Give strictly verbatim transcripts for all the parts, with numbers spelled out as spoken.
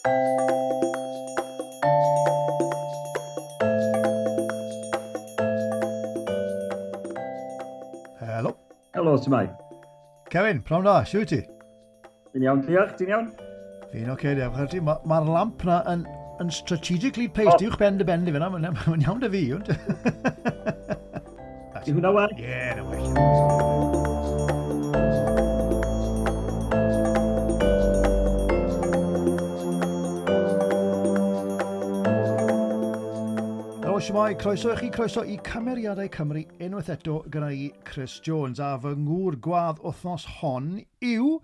Helo. Helo, shwmae? Kevin, prynhawn da, siwt ti? Fi'n iawn, diolch, ti'n iawn? Fi'n oce, okay, diolch. Mae'r ma, ma lamp na yn, yn strategically placed oh. uwch ben dy ben di fyna, mae'n ma iawn dy fi. Di hwnna well? Ie, yeah, na well. Helo, shwmae, croeso i chi, croeso i Cymeriadau Cymru unwaith eto gyda i Chris Jones, a fy ngŵr gwadd wythnos hon yw...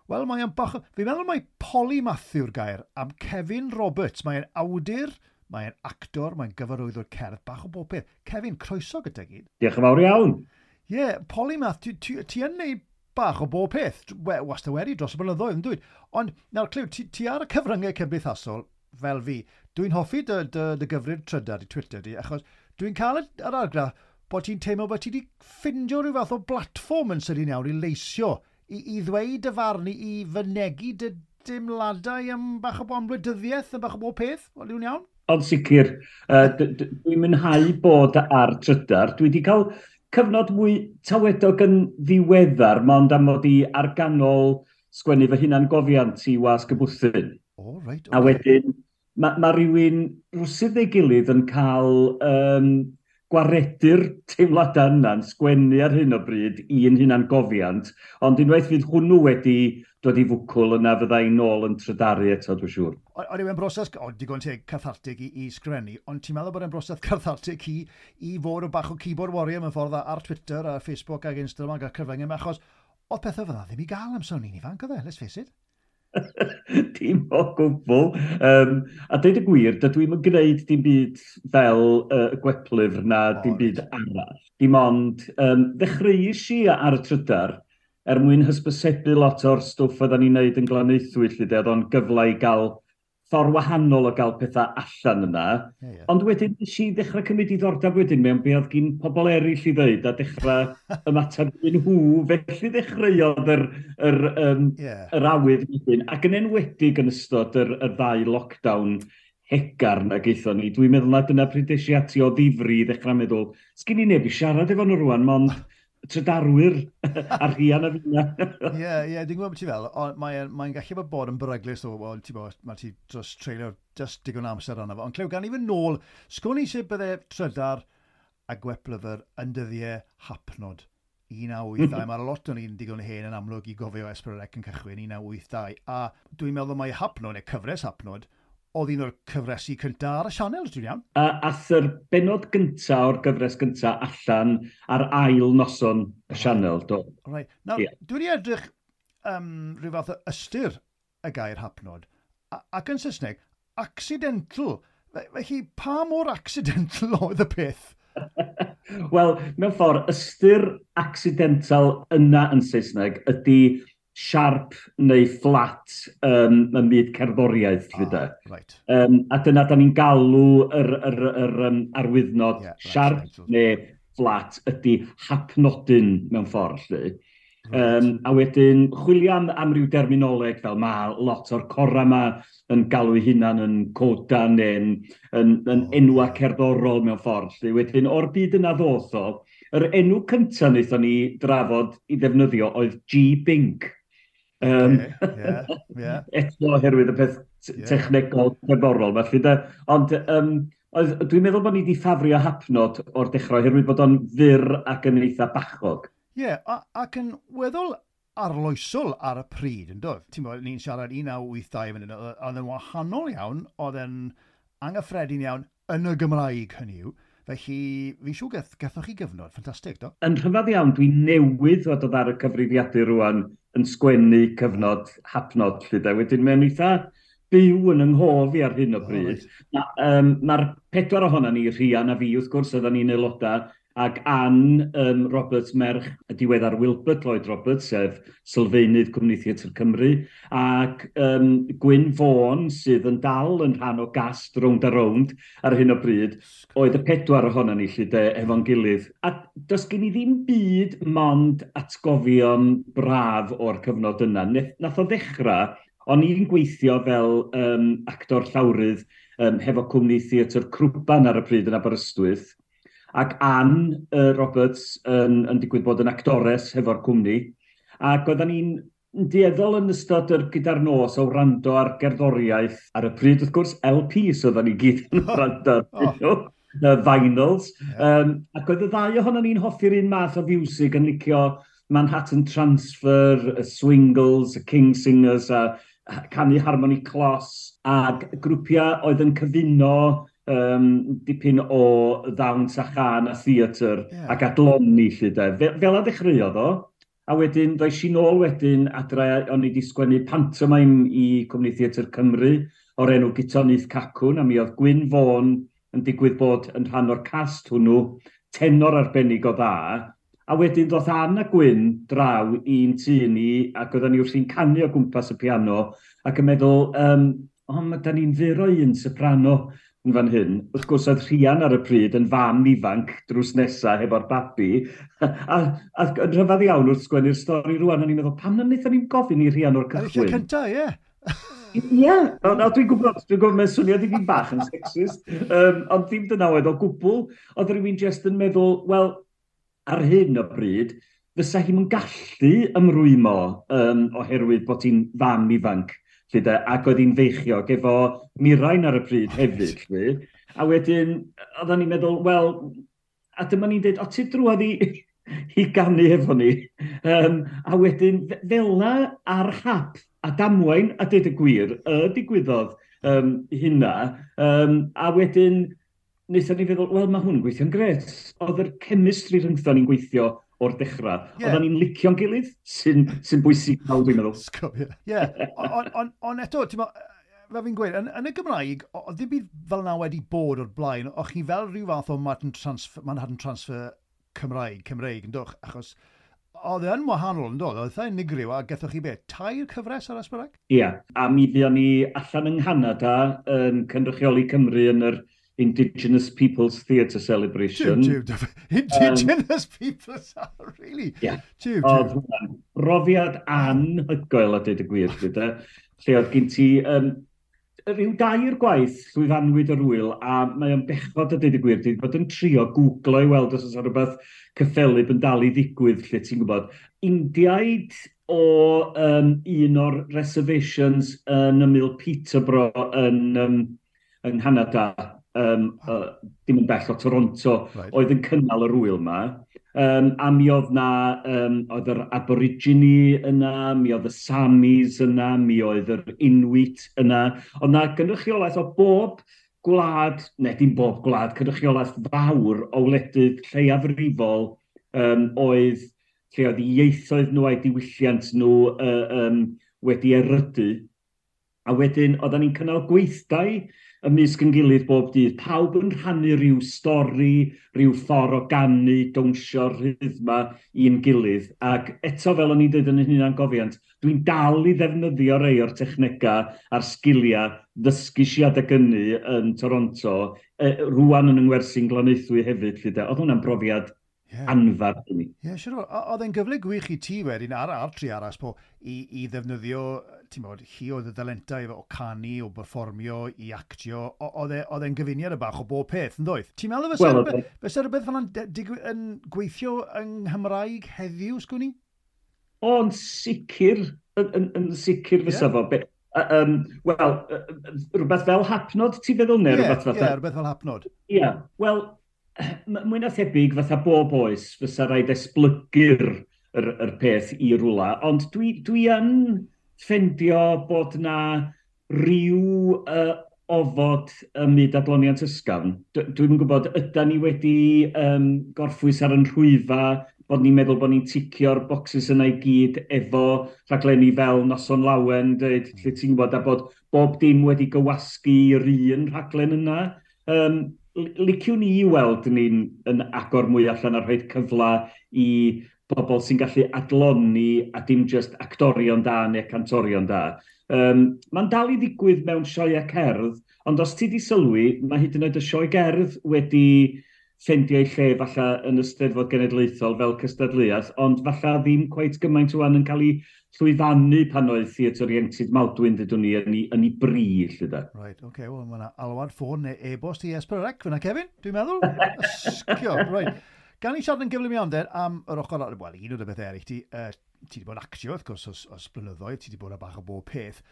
Wel, mae'n bach... Fi'n meddwl mai polymath yw'r gair am Kevin Roberts. Mae'n awdur, mae'n actor, mae'n gyfarwyddwr cerdd, bach o bob peth. Kevin, croeso gyda gyd. Diolch yn fawr iawn. Ie, yeah, polymath, ti, ti, ti yn neud bach o bob peth. We, wastad wedi dros y blynyddoedd, yn dweud. Ond, nawr, clyw, ti, ti ar y cyfryngau cymdeithasol fel fi. Dwi'n hoffi dy, dy, dy gyfrif trydar, di Twitter di, achos dwi'n cael yr argraff bod ti'n teimlo bod ti wedi ffindio rhyw fath o blatfform yn sydyn iawn i leisio, i, i ddweud dy farn, i, i fynegi dy dimladau am bach o am wleidyddiaeth, am bach o bob peth. Wel, yw'n iawn? Ond sicr, uh, dwi'n mwynhau bod ar Trydar. Dwi wedi cael cyfnod mwy tawedog yn ddiweddar, mond am mod i ar ganol sgwennu fy hunan gofiant i Wasg y Bwthyn. Oh, right, okay. A wedyn, mae ma rhywun rwsydd ei gilydd yn cael um, gwaredu'r teimladau yna'n sgwennu ar hyn o bryd i'n hunan gofiant, ond unwaith fydd hwnnw wedi dod i fwcwl yna fydda i'n nôl yn trydaru eto, dwi'n siŵr. Ond yw e'n broses, o, digon teg, cathartig i, i sgrennu, ond ti'n meddwl bod e'n broses cathartig i, i fod o bach o keyboard warrior mewn ffordd ar Twitter a Facebook ac Instagram ac ar cyfryngau yma, achos oedd pethau fydda ddim i gael am sôn ni'n ifanc, oedd e, let's face it. Dim o gwbl. Um, a dweud y gwir, dydw i'm yn gwneud dim byd fel uh, y gweplyfr na oh, dim byd arall. Dim ond, um, ddechreuais i ar y Trydar er mwyn hysbysebu lot o'r stwff oedden ni'n neud yn Glanaethwy, lle de, oedd o'n gyfle i gael ffordd wahanol o gael pethau allan yna. Yeah, yeah. Ond wedyn nes i ddechrau cymryd diddordeb wedyn mewn be oedd gyn pobl eraill i ddeud a dechrau ymateb iddyn nhw. Felly ddechreuodd yr, yr, um, yeah. yr awydd wedyn. Ac yn enwedig yn ystod yr, yr ddau lockdown hegarn ag aethon ni. Dwi'n meddwl na dyna pryd es i ati o ddifri i ddechrau meddwl, sgyn i neb i siarad efo nhw rwan, mond trydarwyr a Rhian a finna. Ie, ie, dwi'n gwybod beth ti fel, ond mae'n mae gallu bod bod yn beryglus o, wel, ti bod, mae ti dros treulio just digon amser arno fo. Ond clyw, gan i fynd nôl, sgwn i sut bydde Trydar a Gweplyfr yn dyddiau hapnod. un naw wyth dau. Mae'r lot o'n i'n digon hen yn amlwg i gofio S pedwar C yn cychwyn un naw wyth dau. A dwi'n meddwl mai Hapnod, neu cyfres Hapnod, oedd un o'r cyfresi cyntaf ar y sianel, dwi'n iawn. A ath yr bennod gyntaf o'r gyfres gyntaf allan ar ail noson y sianel, do. Right. Nawr, yeah. Dwi wedi edrych um, rhyw fath o ystyr y gair hapnod, ac yn Saesneg, accidental. Felly, pa mor accidental oedd y peth? Wel, mewn ffordd, ystyr accidental yna yn Saesneg ydy sharp neu flat um, ym myd cerddoriaeth, ah, de. Right. Um, a dyna da ni'n galw yr, yr, yr, um, arwyddnod yeah, right, sharp right. neu flat ydy hapnodyn mewn ffordd, lly. Right. Um, a wedyn, chwilio am, am ryw derminoleg fel mae lot o'r cora yma yn galw eu hunan yn coda neu'n yn, yn oh, enwa cerddorol mewn ffordd. Lly. Wedyn, o'r byd yna ddoth o, yr enw cyntaf wnaethon ni drafod i ddefnyddio oedd G-Bink. Um, okay, yeah, yeah. Eto oherwydd y peth yeah. technegol cerddorol, felly de. Ond um, oedd, dwi'n meddwl bod ni wedi ffafrio hapnod o'r dechrau oherwydd bod o'n fyr ac yn eitha bachog. Ie, yeah, ac yn weddol arloesol ar y pryd, yn doedd? Ti'n bod, ni'n siarad un naw wyth dau fan hyn, oedd yn wahanol iawn, oedd yn anghyffredin iawn yn y Gymraeg, hynny yw. Felly, fi'n siŵr geth, gethoch chi gyfnod, ffantastig, do? Yn rhyfedd iawn, dwi newydd fod ar y cyfrifiadur rwan yn sgwennu cyfnod hapnod, lle de. Wedyn, mae'n eitha byw yn yng nghof i ar hyn o bryd. Oh, right. um, Mae'r pedwar ohono ni, Rhian a fi, wrth gwrs, oedden ni'n aelodau, ac Ann um, Roberts, merch y diweddar Wilbert Lloyd Roberts, sef sylfaenydd Cwmni Theatr Cymru, ac um, Gwyn Vaughan, sydd yn dal yn rhan o gast Rownd a Rownd ar hyn o bryd, oedd y pedwar ohono ni lle de, efo'n gilydd. A does gen i ddim byd mond atgofion braf o'r cyfnod yna. Nath o ddechrau O'n i'n gweithio fel um, actor llawrydd um, hefo cwmni theatr Crwban ar y pryd yn Aberystwyth, ac Ann uh, Roberts yn, yn digwydd bod yn actores hefo'r cwmni, ac oedden ni'n dueddol yn ystod yr gyda'r nos o wrando ar gerddoriaeth. Ar y pryd, wrth gwrs, L Ps oedden ni gyd yn wrando ar oh. y vinyls. Yeah. Um, ac oedd y ddau ohono ni'n hoffi'r un math o fiwsig, yn licio Manhattan Transfer, y Swingles, y King Singers, a canu Harmony Clos, ac grwpiau oedd yn cyfuno um, dipyn o ddawns a chân a theatr yeah. ac adloni, lly de. Fel, fel a ddechreuodd o, a wedyn ddoes i nôl wedyn adre, o'n i wedi sgwennu pantomime i Cwmni Theatr Cymru o'r enw Guto Nyth Cacwn, a mi oedd Gwyn Fôn yn digwydd bod yn rhan o'r cast hwnnw, tenor arbennig o dda. A wedyn ddoth Ann a Gwyn draw i'n tŷ ni, ac oedden ni wrthi'n canu o gwmpas y piano, ac yn meddwl, um, o, ma, da ni'n fyr o un soprano yn fan hyn. Wrth gwrs, oedd Rhian ar y pryd yn fam ifanc drws nesaf hefo'r babi. A, a, yn rhyfedd iawn wrth sgwennu'r stori rwan, o'n i'n meddwl, pam na wnaethon ni'n gofyn i Rhian o'r cychwyn? Ar y lle cyntaf, ie. Ie, no, dwi'n gwybod, dwi'n gwybod, mae'n swnio dipyn bach yn sexist, um, ond ddim dyna oedd o gwbl. Oedd rhywun jyst yn meddwl, wel, ar hyn o bryd, fysa hi'n gallu ymrwymo um, oherwydd bod hi'n fam ifanc. Lly de, ac oedd hi'n feichiog efo Mirain ar y pryd hefyd. Lly. A wedyn, oedden ni'n meddwl, wel, a dyma ni'n dweud, o, ti drwodd i, i ganu efo ni. Um, a wedyn, fel 'na ar hap a damwain, a dweud y gwir, y digwyddodd um, hynna. Um, a wedyn, wnaethon ni feddwl, wel, mae hwn yn gweithio'n gret. Oedd yr chemistry rhyngthon ni'n gweithio o'r dechrau. Yeah. Oedden ni'n licio'n gilydd, sy'n sy bwysig nawr, dwi'n meddwl. Ie. Yeah. Ond on, on eto, ti'n fel fi'n gweud, yn, yn y Gymraeg, oedd ddim byd fel yna wedi bod o'r blaen. O'ch chi fel rhyw fath o Manhattan Transfer, Manhattan Transfer Cymraeg, Cymreig, yn dwch, achos oedd e yn wahanol, yn dod, oedd eitha unigryw, a gethoch chi beth, tair cyfres ar S pedwar C? Ie, yeah, a mi fuon ni allan yng Nghanada yn cynrychioli Cymru yn yr Indigenous Peoples Theatre Celebration. Jiw, jiw, Indigenous um, Peoples, really? Yeah. Jiw, jiw. Oedd hwnna'n brofiad anhygoel a dweud y gwir, gyda. Lle oedd gen ti um, rhyw dair gwaith llwyfanwyd yr wyl, a mae o'n bechod a dweud y gwir, dwi wedi bod yn trio googlo i weld os oes rhywbeth cyffelyb yn dal i ddigwydd, lle ti'n gwybod. Indiaid o um, un o'r reservations yn ymyl Peterborough yn, um, yng Nghanada, um, uh, dim yn bell o Toronto, right. oedd yn cynnal yr wyl yma. Um, a mi oedd na, um, oedd yr Aborigine yna, mi oedd y Samis yna, mi oedd yr Inuit yna. Oedd na gynrychiolaeth o bob gwlad, neu dim bob gwlad, cynrychiolaeth fawr o wledydd lleiafrifol um, oedd lle oedd ieithoedd nhw a'i diwylliant nhw uh, um, wedi erydu. A wedyn, oedden ni'n cynnal gweithdai ymysg yn gilydd bob dydd. Pawb yn rhannu rhyw stori, rhyw ffordd o ganu, dawnsio, rhythma i'n gilydd. Ac eto, fel o'n i'n dweud yn y hunangofiant, dwi'n dal i ddefnyddio rei o'r technegau a'r sgiliau ddysgu i adeg hynny yn Toronto, e, rwan yn yng ngwersi'n Glanaethwy hefyd. Lly de. Oedd hwnna'n brofiad yeah. anferth i mi. Ie, yeah, siwr. Oedd e'n gyfle gwych i ti wedyn ar, ar tri arall po i, i ddefnyddio, ti'n bod, hi oedd y dalentau o canu, o berfformio, i actio. Oedd e, e'n gyfuniad y bach o bob peth, yn doedd? Ti'n meddwl fysa well, rhywbeth, fysa rhywbeth fel yna'n yn gweithio yng Nghymraeg heddiw, sgwn i? O, yn sicr, yn, yn, yn sicr fysa yeah. fo. Be, um, Wel, rhywbeth fel Hapnod, ti'n feddwl, neu yeah, rhywbeth fatha? Ie, yeah, rhywbeth fel Hapnod. Ie, yeah. Wel, mwy na thebyg fatha bob oes, fysa rhaid esblygu'r yr, yr peth i rwla, ond dwi, dwi yn ffendio bod na rhyw uh, ofod ym myd adloniant ysgafn. Dwi'm yn gwybod, yda ni wedi um, gorffwys ar yn rhwyfa, bod ni'n meddwl bod ni'n ticio'r boxes yna i gyd efo rhaglenni fel Noson Lawen, dweud, lle ti'n gwybod, a bod bob dim wedi gywasgu i'r un rhaglen yna. Um, liciwn i weld ni'n yn agor mwy allan a rhoi cyfle i bobl sy'n gallu adloni a dim just actorion da neu cantorion da. Um, Mae'n dal i ddigwydd mewn sioeau cerdd, ond os ti di sylwi, mae hyd yn oed y sioe gerdd wedi ffeindio ei lle falle yn y Steddfod Genedlaethol fel cystadleuaeth, ond falle ddim cweit gymaint wan yn cael ei llwyfannu pan oedd Theatr Ieuenctid Maldwyn, dydwn ni, yn ei, yn ei bri, lle da. Right, oce, okay, wel, mae yna alwad ffôn neu e-bost i S pedwar C fyna, Kevin, dwi'n meddwl. Ysgio, right. Gan i siarad yn gyflym iawn, den, am yr ochr, wel, un o'r bethau eraill, ti, uh, ti wedi bod yn actio, wrth gwrs, os, os blynyddoedd, ti wedi bod yn bach o bob peth.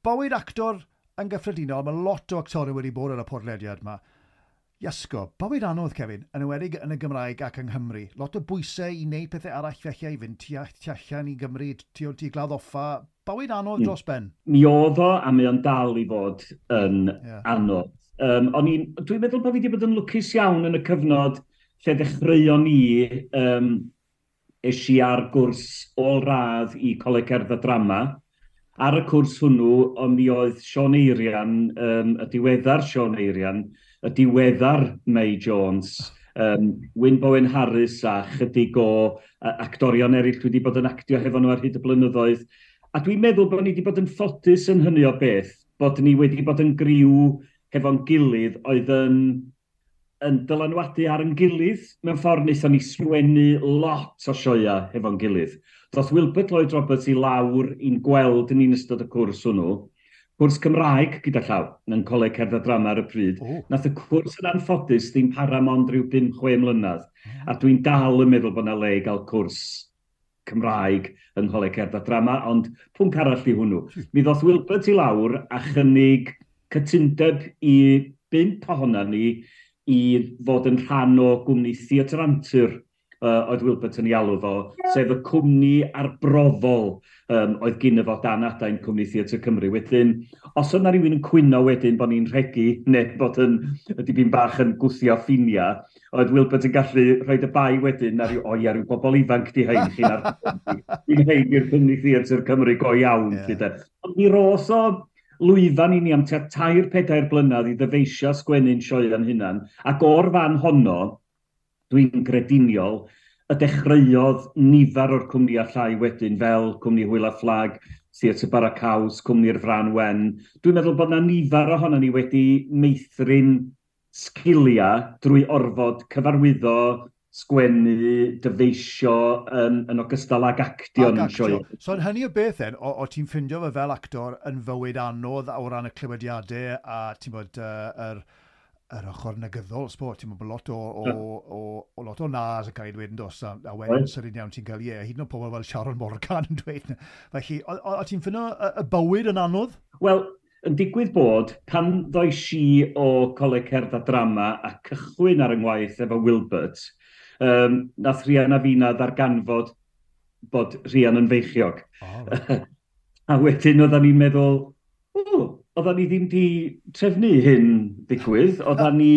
Bywyd actor yn gyffredinol, mae lot o actorion wedi bod ar y podlediad yma. Iasgo, bywyd anodd, Kevin, yn enwedig yn y Gymraeg ac yng Nghymru. Lot o bwysau i wneud pethau arall felly, i fynd tu, tu allan i Gymru, tu, tu Glawdd Offa. Bywyd anodd dros ben. Mi oedd o, a mae o'n dal i fod yn yeah. anodd. Um, o'n i'n, dwi'n meddwl bod fi wedi bod yn lwcus iawn yn y cyfnod lle ddechreuon ni, um, es i ar gwrs ôl-radd i Coleg Cerdd a Drama. Ar y cwrs hwnnw, ond mi oedd Siôn Eirian, um, y diweddar Siôn Eirian, y diweddar May Jones, um, Wyn Bowen Harris a chydig o uh, actorion eraill dwi wedi bod yn actio hefo nhw ar hyd y blynyddoedd. A dwi'n meddwl bod ni wedi bod yn ffodus yn hynny o beth, bod ni wedi bod yn griw hefo'n gilydd oedd yn, yn dylanwadu ar yn gilydd. Mewn ffordd wnaethon ni sgwennu lot o sioeau hefo'n gilydd. Doth Wilbert Lloyd Roberts i lawr i'n gweld yn ystod y cwrs hwnnw. Cwrs Cymraeg gyda llaw, yn Coleg Cerdd a Drama ar y pryd. Oh. Nath y cwrs yn anffodus ddim para mond rhyw bum chwe mlynedd. Oh. A dwi'n dal yn meddwl bod yna le i gael cwrs Cymraeg yng Ngholeg Cerdd a Drama, ond pwnc arall i hwnnw. Mi ddoth Wilbert i lawr a chynnig cytundeb i bump ohona ni i fod yn rhan o gwmni Theatr Antur, uh, oedd Wilbert yn ei alw fo, sef y cwmni arbrofol um, oedd gyn fo dan adain Cwmni Theatr Cymru. Wedyn, os oedd na rhywun yn cwyno wedyn bod ni'n rhegi neu bod yn dipyn bach yn gwthio ffiniau, oedd Wilbert yn gallu rhoi y bai wedyn ar ryw, o ia, rhyw bobl ifanc di hein chi'n ar Dwi'n hein i'r Cwmni Theatr Cymru go iawn. Yeah. Ond mi ros o lwyfan i ni am tua tair pedair blynedd i ddyfeisio sgwennu'n sioeau'n hunan, ac o'r fan honno, dwi'n grediniol, y dechreuodd nifer o'r cwmnïau llai wedyn fel Cwmni Hwyl a Fflag, Theatr Bara Caws, Cwmni'r Fran Wen. Dwi'n meddwl bod yna nifer ohono ni wedi meithrin sgiliau drwy orfod cyfarwyddo, sgwennu, dyfeisio um, yn ogystal ag actio yn sioe. So yn hynny o beth then, o, o ti'n ffindio fe fel actor yn fywyd anodd o ran y clywediadau a ti'n bod uh, yr yr ochr negyddol, sbo, ti'n bod lot o, o, o, o, lot o nas yn cael ei dweud yn dos, a, a wedyn right. Sydyn iawn ti'n cael, ie, hyd yn oed pobl fel Sharon Morgan yn dweud. Felly, o, o, o ti'n ffindo y, y bywyd yn anodd? Wel, yn digwydd bod, pan ddois i o Coleg Cerdd a Drama a cychwyn ar yng ngwaith efo Wilbert, um, nath Rhian a Fina ddarganfod bod Rhian yn feichiog. Oh, right. A wedyn oedden ni'n meddwl, o, oedden ni ddim di trefnu hyn ddigwydd, oedden ni,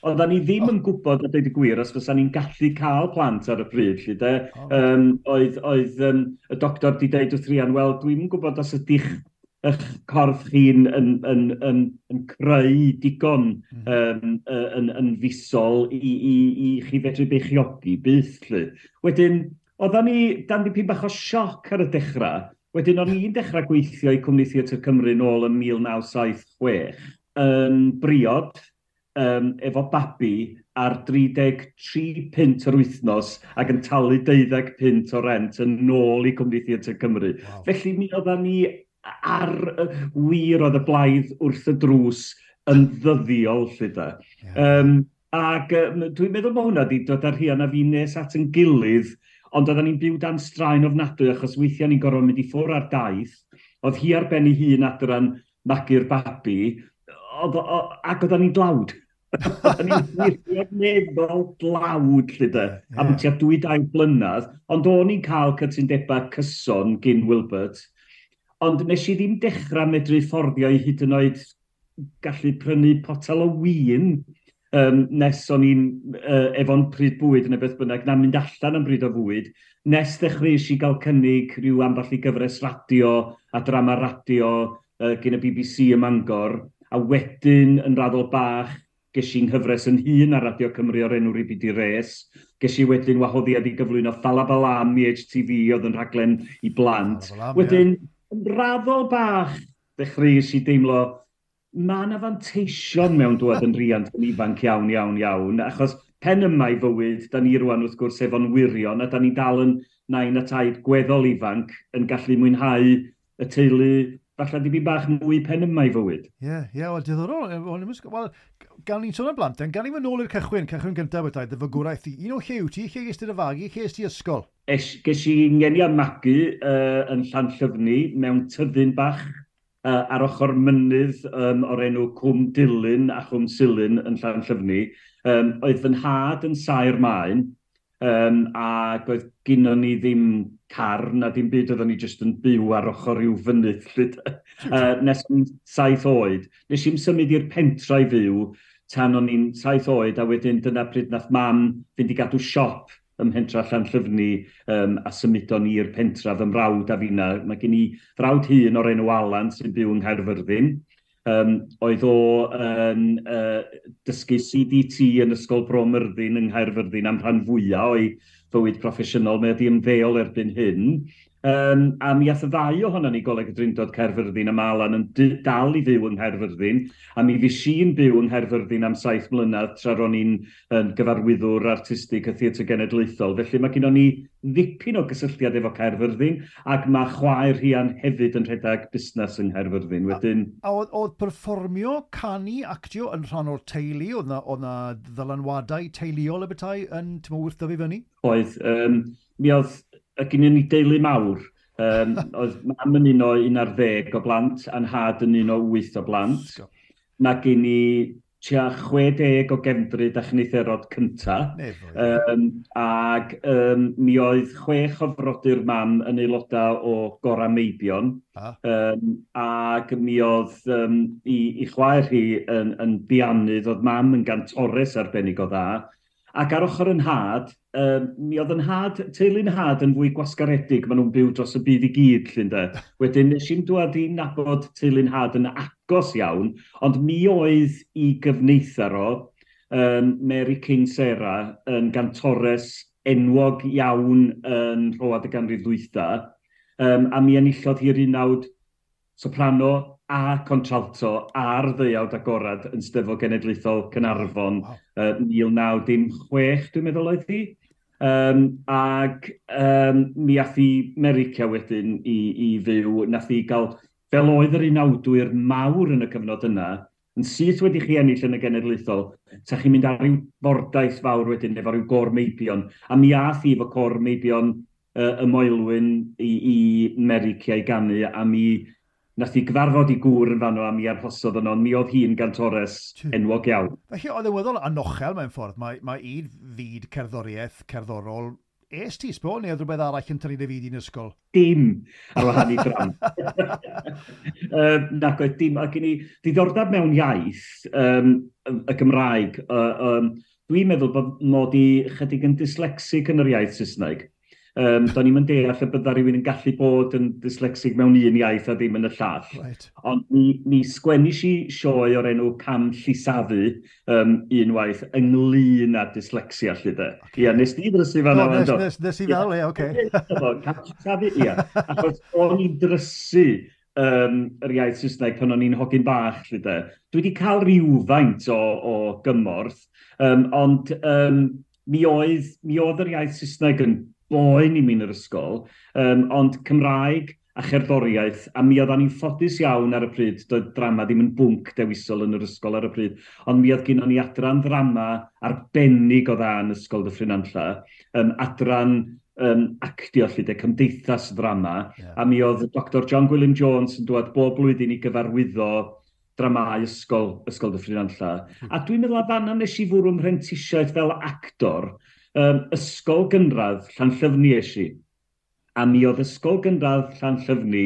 oedden ni ddim yn gwybod a dweud y gwir os fysa ni'n gallu cael plant ar y pryd, lly de. Oh. Um, oedd oedd um, y doctor di deud wrth Rhian, wel, dwi'm yn gwybod os ydych eich corff chi'n yn, yn, yn, yn creu digon mm. um, yn, yn fisol i, i, i chi fedru beichiogi byth, lly. Wedyn, oedden ni dan dipyn bach o sioc ar y dechrau. Wedyn, o'n i'n dechrau gweithio i Cwmni Theatr Cymru nôl yn mil naw saith chwech, yn briod, um, efo babi ar dri deg tri punt yr wythnos ac yn talu deuddeg punt o rent yn ôl i Cwmni Theatr Cymru. Wow. Felly mi oedden ni ar y wir oedd y blaidd wrth y drws yn ddyddiol, lle da. Yeah. Um, ac um, dwi'n meddwl bod hwnna wedi dod â Rhian a fi nes at yn gilydd, ond oedden ni'n byw dan straen ofnadwy achos weithiau ni'n gorfod mynd i ffwrdd ar daith. Oedd hi ar ben ei hun adran magu'r babi, oedd, o, ac oedden ni'n dlawd. Oedden ni'n wirioneddol dlawd, lle de, yeah. Am tua dwy dair blynedd, ond o'n i'n cael cytundebau cyson gyn Wilbert. Ond nes i ddim dechrau medru fforddio i hyd yn oed gallu prynu potel o win um, nes o'n i'n uh, efo'n pryd bwyd neu beth bynnag, na mynd allan am bryd o fwyd, nes ddechreuais i gael cynnig rhyw ambell i gyfres radio a drama radio uh, gyn y B B C ym Mangor, a wedyn yn raddol bach ges i'n nghyfres yn hun ar Radio Cymru o'r enw Ribidi Res. Ges i wedyn wahoddiad i gyflwyno Ffalabalam i H T V oedd yn rhaglen i blant. Ffalabalam, Wedyn, ie. yn raddol bach, ddechreuais i deimlo, mae yna fanteision mewn dŵad yn riant yn ifanc iawn, iawn, iawn, achos Pen yma i fywyd, da ni rwan wrth gwrs efo'n wirion, a da ni dal yn nain a taid gweddol ifanc yn gallu mwynhau y teulu falle dipyn bach mwy pen yma i fywyd. Ie, yeah, ie, yeah, wel, diddorol. Wel, gan ni'n sôn am blant, gan ni fynd nôl i'r cychwyn, cychwyn gyntaf bethau, dy fagwraeth di. Un o lle wyt ti, lle ges ti dy fagu, lle ges ti ysgol? Es, ges i ngeni a magu uh, yn Llanllyfni mewn tyddyn bach uh, ar ochr mynydd um, o'r enw Cwm Dulyn a Chwm Silyn yn Llanllyfni. Um, oedd fy nhad yn saer maen, um, ac oedd gynnon ni ddim car na dim byd, oedden ni jyst yn byw ar ochr rhyw fynydd. uh, nes o'n saith oed. Nes i'm symud i'r pentra i fyw tan o'n i'n saith oed, a wedyn dyna pryd nath mam fynd i gadw siop ym mhentra Llanllyfni um, a symudon ni i'r pentra fy mrawd a finna. Mae gen i frawd hŷn o'r enw Alan sy'n byw yng Nghaerfyrddin. Um, oedd o yn uh, dysgu C D T yn Ysgol Bro Myrddin yng Nghaerfyrddin am rhan fwyaf o'i fywyd proffesiynol. Mae wedi ymddeol erbyn hyn. Um, a mi ath y ddau ohonon ni Goleg y Drindod Caerfyrddin, a mae Alan yn dal i fyw yng Nghaerfyrddin, a mi fues i'n byw yng Nghaerfyrddin am saith mlynedd tra ro'n i'n yn gyfarwyddwr artistig y Theatr Genedlaethol. Felly mae gennon ni ddipyn o gysylltiad efo Caerfyrddin, ac mae chwaer Rhian hefyd yn rhedeg busnes yng Nghaerfyrddin. Wedyn... A, a oedd, oedd perfformio, canu, actio yn rhan o'r teulu? Oedd na, oedd na ddylanwadau teuluol y bethau yn tymor wrth dyfu fyny? Oedd. Um, mi oedd y gynnon ni deulu mawr. Um, oedd mam yn un o un ar ddeg o blant, a'n nhad yn un o wyth o blant. Mae gen i tua chwe deg o gefndryd a chynitherod cynta. Um, ac um, mi oedd chwech o frodyr mam yn aelodau o Gora Meibion. Ah. Um, ac mi oedd um, i, i chwaer hi yn, yn bianydd, oedd mam yn gantores arbennig o dda. Ac ar ochr yn nhad, um, mi oedd yn nhad, teulu'n nhad yn fwy gwasgaredig, maen nhw'n byw dros y byd i gyd, llyn de. Wedyn nes i'n dwad i nabod teulu'n nhad yn agos iawn, ond mi oedd i gyfneithar o, um, Mary King Sarah, yn gantores enwog iawn yn rhoad y ganrif ddwytha, um, a mi enillodd hi'r unawd soprano a contralto ar ddeuawd agorad yn Steddfod Genedlaethol Caernarfon, wow. uh, mil naw dim chwech, dwi'n meddwl oedd hi. Um, ac um, mi ath hi America wedyn i, i fyw, nath hi gael, fel oedd yr unawdwyr mawr yn y cyfnod yna, yn syth wedi chi ennill yn y genedlaethol, sa chi'n mynd ar ryw fordaith fawr wedyn efo ryw gôr meibion. A mi ath hi efo côr meibion uh, y Moelwyn i, i America i ganu, a mi nath hi gyfarfod i gŵr yn fanno a mi arhosodd yno, mi oedd hi'n gantores enwog iawn. Felly oedd yn weddol anochel mewn ffordd, mae, mae un fyd cerddoriaeth, cerddorol, es ti sbo, neu oedd rhywbeth arall yn tynnu dy fyd i'n ysgol? Dim, ar wahan i dram. um, nac oedd dim, ac i ni diddordeb mewn iaith, um, y Gymraeg, uh, um, dwi'n meddwl bod mod i chydig yn dyslexic yn yr iaith Saesneg. Um, do'n i'm yn deall y bydda rhywun yn gallu bod yn dyslexic mewn un iaith a ddim yn y llall. Right. Ond mi, mi sgwennis i sioe o'r enw Cam Llisafu um, unwaith ynglyn â dyslexia, lly de. Okay. Ia, nes di ddrysu fan no, nes, nes, nes i fel, ie, oce. Cam Llisafu, ia. Achos o'n i'n drysu um, yr iaith Saesneg pan o'n i'n hogyn bach, lly de. Dwi wedi cael rhywfaint o, o gymorth, um, ond um, mi oedd, mi oedd yr iaith Saesneg yn boen i mi yn yr ysgol, um, ond Cymraeg a cherddoriaeth, a mi oeddan ni'n ffodus iawn ar y pryd, doedd drama ddim yn bwnc dewisol yn yr ysgol ar y pryd, ond mi oedd gynnon ni adran ddrama arbennig o dda yn Ysgol Dyffryn Nantlle, um, adran um, actio lly de, cymdeithas ddrama, yeah. A mi oedd Doctor John Gwilym Jones yn dod bob blwyddyn i gyfarwyddo dramau ysgol, Ysgol Dyffryn Nantlle. Mm. A dwi'n meddwl a fanna nes i fwrw mhrentisiaeth fel actor. Um, ysgol gynradd Llanllyfni es i. A mi oedd ysgol gynradd Llanllyfni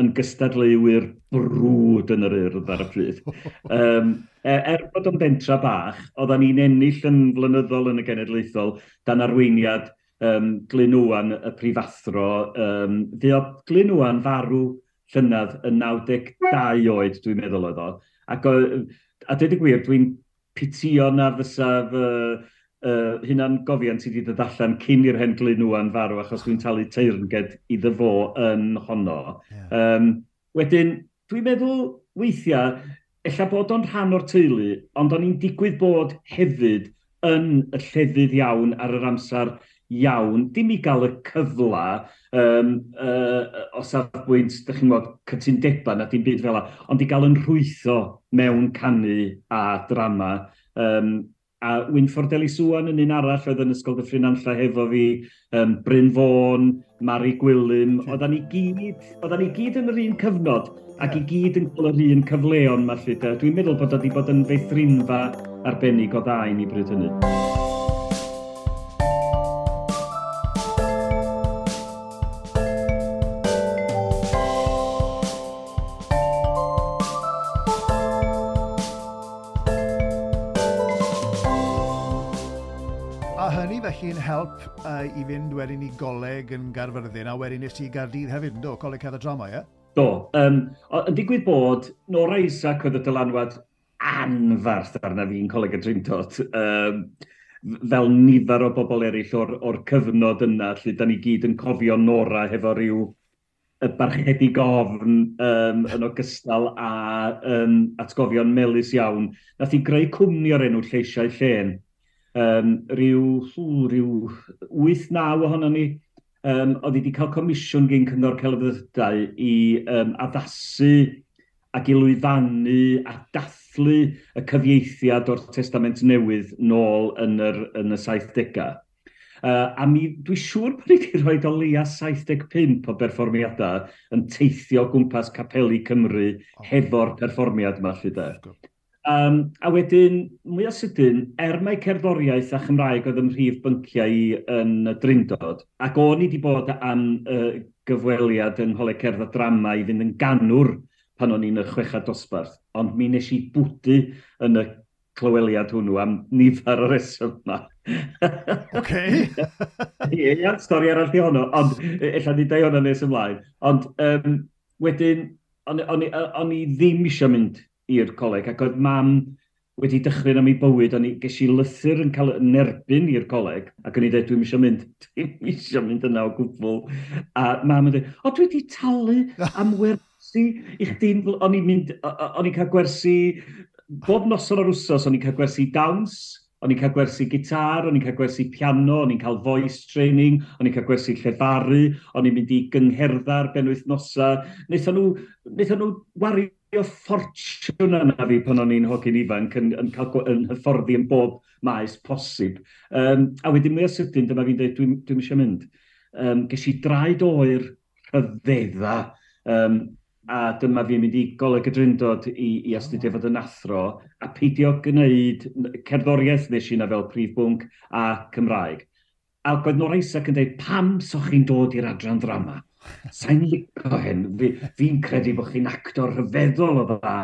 yn gystadleuwyr brwd yn yr Urdd ar y pryd. Um, er bod o'n bentra bach, oeddan ni'n ennill yn flynyddol yn y genedlaethol dan arweiniad um, Glyn Owen, y prifathro. Um, Fuodd Glyn Owen farw llynedd yn naw deg dau oed, dwi'n meddwl oedd o. Ac, a dweud y gwir, dwi'n pitio na fysa fy Uh, hunan gofiant sydd wedi dod allan cyn i'r hen Glyn Owen farw, achos dwi'n talu teyrnged iddo fo yn honno. Yeah. Um, wedyn, dwi'n meddwl weithiau, ella bod o'n rhan o'r teulu, ond o'n i'n digwydd bod hefyd yn y llefydd iawn ar yr amser iawn, dim i gael y cyfla um, uh, o safbwynt, dych chi'n gwybod, cytundebau na dim byd fel 'na, ond i gael yn rhwytho mewn canu a drama. Um, a Wynford Ellis Owen yn un arall oedd yn Ysgol Dyffryn Nantlle hefo fi, um, Bryn Fôn, Mari Gwilym, oeddan ni gyd, oeddan ni gyd yn yr un cyfnod, ac i gyd yn cael yr un cyfleon 'ma 'lly. Dwi'n meddwl bod o wedi bod yn feithrinfa arbennig o dda i ni bryd hynny. Felly'n help uh, i fynd wedyn i goleg yn Gaerfyrddin, a wedyn nes ti i Gaerdydd hefyd, yn do? Coleg Cerdd a Drama, ie? Do. Um, yn digwydd bod, Nora Isaac oedd y dylanwad anfarth arna fi'n Coleg y Drindod, um, fel nifer o bobl eraill o'r, or cyfnod yna, lle da ni gyd yn cofio Nora hefo rhyw y barchedig ofn um, yn ogystal â um, atgofion melys iawn. Nath i greu cwmni o'r enw Lleisiau Llên. Um, rhyw, hw, rhyw wyth naw ohono ni, um, oedd wedi cael comisiwn gyn Cyngor Celfyddydau i um, addasu ac i lwyfannu a dathlu y cyfieithiad o'r Testament Newydd nôl yn, yr, yn y saithdegau. Uh, a mi, dwi siŵr bod ni wedi rhoi o leia saith deg pump o berfformiadau yn teithio gwmpas capeli Cymru oh. hefo'r perfformiad yma, 'lly de. Um, a wedyn, mwy o sydyn, er mai cerddoriaeth a Chymraeg oedd ym mhrif bynciau i yn y Drindod, ac o'n i wedi bod am uh, gyfweliad yng Ngholeg Cerdd a Drama i fynd yn ganwr pan o'n i'n y chweched dosbarth, ond mi nes i bwdu yn y clyweliad hwnnw am nifer o resymau. Oce. Ie, stori arall i honno, ond ella ni dau honno nes ymlaen. Ond um, wedyn, o'n, o'n, o'n i ddim eisiau mynd i'r coleg, ac oedd mam wedi dychryn am ei bywyd, o'n i ges i lythyr yn cael yn erbyn i'r coleg, ac o'n i dweud, dwi'm eisiau mynd, dwi'm eisiau mynd yna o gwbl. A mam yn dweud, o, dwi wedi talu am wersi i chdi. O'n i'n mynd, o'n i'n cael gwersi, bob noson o'r wsos, o'n i'n cael gwersi dawns, o'n i'n cael gwersi gitar, o'n i'n cael gwersi piano, o'n i'n cael voice training, o'n i'n cael gwersi llefaru, o'n i'n mynd i gyngherddau benwythnosa. Wnaethon nhw, wnaethon nhw wario ffortiwn yna fi pan o'n i'n hogyn ifanc yn, yn cael yn hyfforddi yn bob maes posib. Um, a wedyn mwy o sydyn, dyma fi'n dweud, dwi'n dwi eisiau mynd. Um, ges i draed oer rhyfedda, um, a dyma fi'n mynd i Goleg y Drindod i, i astudio fod yn athro, a peidio gwneud cerddoriaeth nes i na fel prif bwnc a Cymraeg. Ac oedd Nora Isaac yn dweud, pam so chi'n dod i'r adran ddrama? Sa'n licio hyn, fi'n fi credu bod chi'n actor rhyfeddol o dda.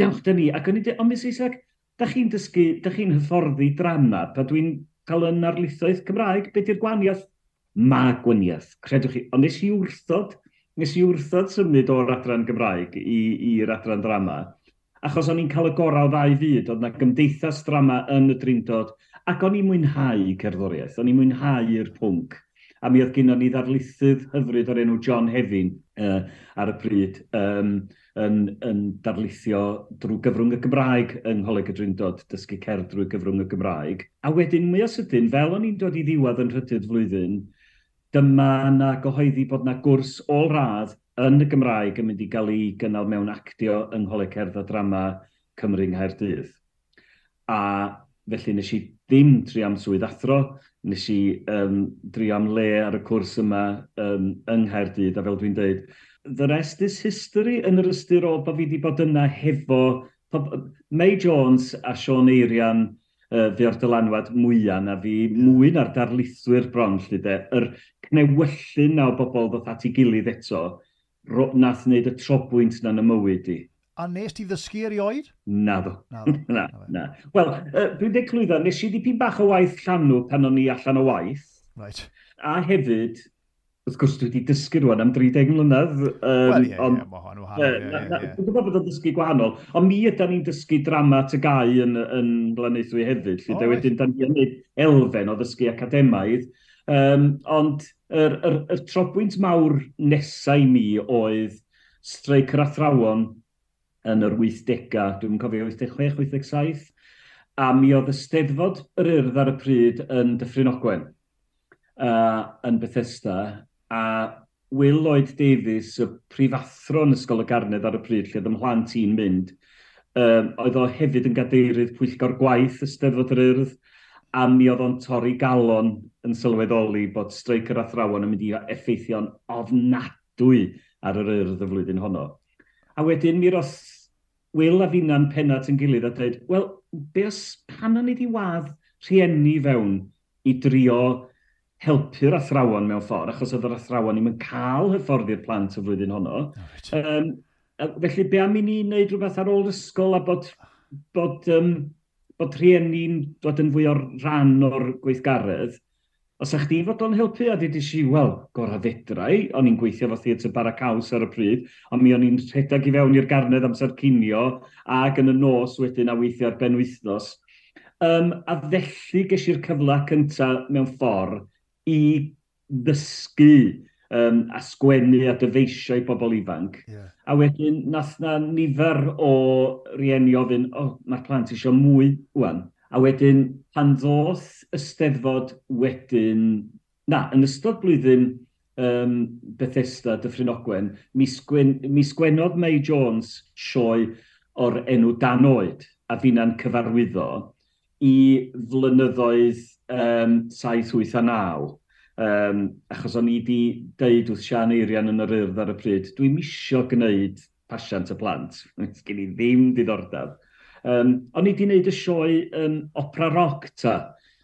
Dewch dyn ni. Ac o'n i'n dweud, ond Miss Isaac, da chi'n dysgu, da chi'n hyfforddi drama, pa dwi'n cael yn arlithoedd Cymraeg, be di'r gwahaniaeth? Ma gwahaniaeth, credwch chi. Ond nes i wrthod, nes i wrthod symud o'r adran Gymraeg i'r adran drama, achos o'n i'n cael y gorau o ddau fyd, oedd na gymdeithas drama yn y Drindod, ac o'n i'n mwynhau cerddoriaeth, o'n i'n mwynhau'r pwnc. A mi oedd gynnon ni ddarlithydd hyfryd o'r enw John Hefin uh, ar y pryd um, yn, yn darlithio drwy gyfrwng y Gymraeg yng Ngholeg y Drindod, dysgu cerdd drwy gyfrwng y Gymraeg. A wedyn, mwy o sydyn, fel o'n i'n dod i ddiwedd yn nhrydydd flwyddyn, dyma na gyhoeddi bod na gwrs ôl-radd yn y Gymraeg yn mynd i gael ei gynnal mewn actio yng Ngholeg Cerdd a Drama Cymru yng Nghaerdydd. A felly nes i ddim trio am swydd athro, nes i um, drio am le ar y cwrs yma um, yng Nghaerdydd, a fel dwi'n dweud, the rest is history yn yr ystyr o bod fi wedi bod yna hefo May Jones a Siôn Eirian uh, fuo'r dylanwad mwyaf na fi, mwy na'r darlithwyr bron, 'lly de, yr cnewyllyn na o bobl ddoth at ei gilydd eto, nath wneud y trobwynt na'n y mywyd i. A nes ti ddysgu erioed? Naddo. Na, na, na. Wel, uh, dwi'n dweud clwydda, nes i dipyn bach o waith llanw pan o'n i allan o waith. Right. A hefyd, wrth gwrs dwi wedi dysgu rwan am dri deg mlynedd. Um, Wel, ie, ie, mae hon wahanol. Dwi'n gwybod bod o'n dysgu gwahanol, ond mi ydan ni'n dysgu drama T G A U yn, yn Llandeithwy hefyd. Lle oh, wedyn, da ni'n gwneud elfen o ddysgu academaidd. Um, ond yr, yr, yr trobwynt mawr nesau i mi oedd streic yr athrawon yn yr wythdegau, dwi'n cofio wyth deg chwech, wyth deg saith, A mi oedd y Steddfod yr Urdd ar y pryd yn Dyffryn Ogwen, uh, yn Bethesda, a Will Lloyd Davies, y prifathro yn Ysgol y Garnedd ar y pryd, lle oedd 'y mhlant i'n mynd, um, oedd o hefyd yn gadeirydd pwyllgor gwaith y Steddfod yr Urdd, a mi oedd o'n torri galon yn sylweddoli bod streic yr athrawon yn mynd i effeithio'n ofnadwy ar yr Urdd y flwyddyn honno. A wedyn mi roth Will a finna'n penna at yn gilydd a dweud, "Wel, be os pan o'n i wedi wadd rhieni fewn i drio helpu'r athrawon mewn ffordd, achos oedd yr athrawon ddim yn cael hyfforddi'r plant y flwyddyn honno. Oh, right. Um, felly, be am i ni wneud rhywbeth ar ôl ysgol a bod, bod, um, bod rhieni'n dod yn fwy o'r rhan o'r gweithgaredd? Os ych chdi fodlon helpu?" A dweud i, "Wel, gorau fedrai." O'n i'n gweithio fo Theatr Bara Caws ar y pryd, ond mi o'n i'n rhedeg i fewn i'r Garnedd amser cinio, ac yn y nos wedyn a weithio ar benwythnos. Um, a felly ges i'r cyfle cyntaf mewn ffordd i ddysgu um, a sgwennu a dyfeisio i bobl ifanc. Yeah. A wedyn, nath na nifer o rieni ofyn, "O, oh, mae'r plant eisiau mwy wan." A wedyn, pan ddoth y Steddfod wedyn, na, yn ystod blwyddyn um, Bethesda Dyffryn Ogwen, mi, sgwen, mi sgwennodd May Jones sioe o'r enw Dan Oed, a finna'n cyfarwyddo, i flynyddoedd um, saith, wyth a naw. Um, achos o'n i wedi deud wrth Sian Eirian yn yr Urdd ar y pryd, "Dwi'n misio gwneud pasiant y plant. Sgen i ddim diddordeb." Um, o'n i wedi gwneud y sioe um, opera rock ta,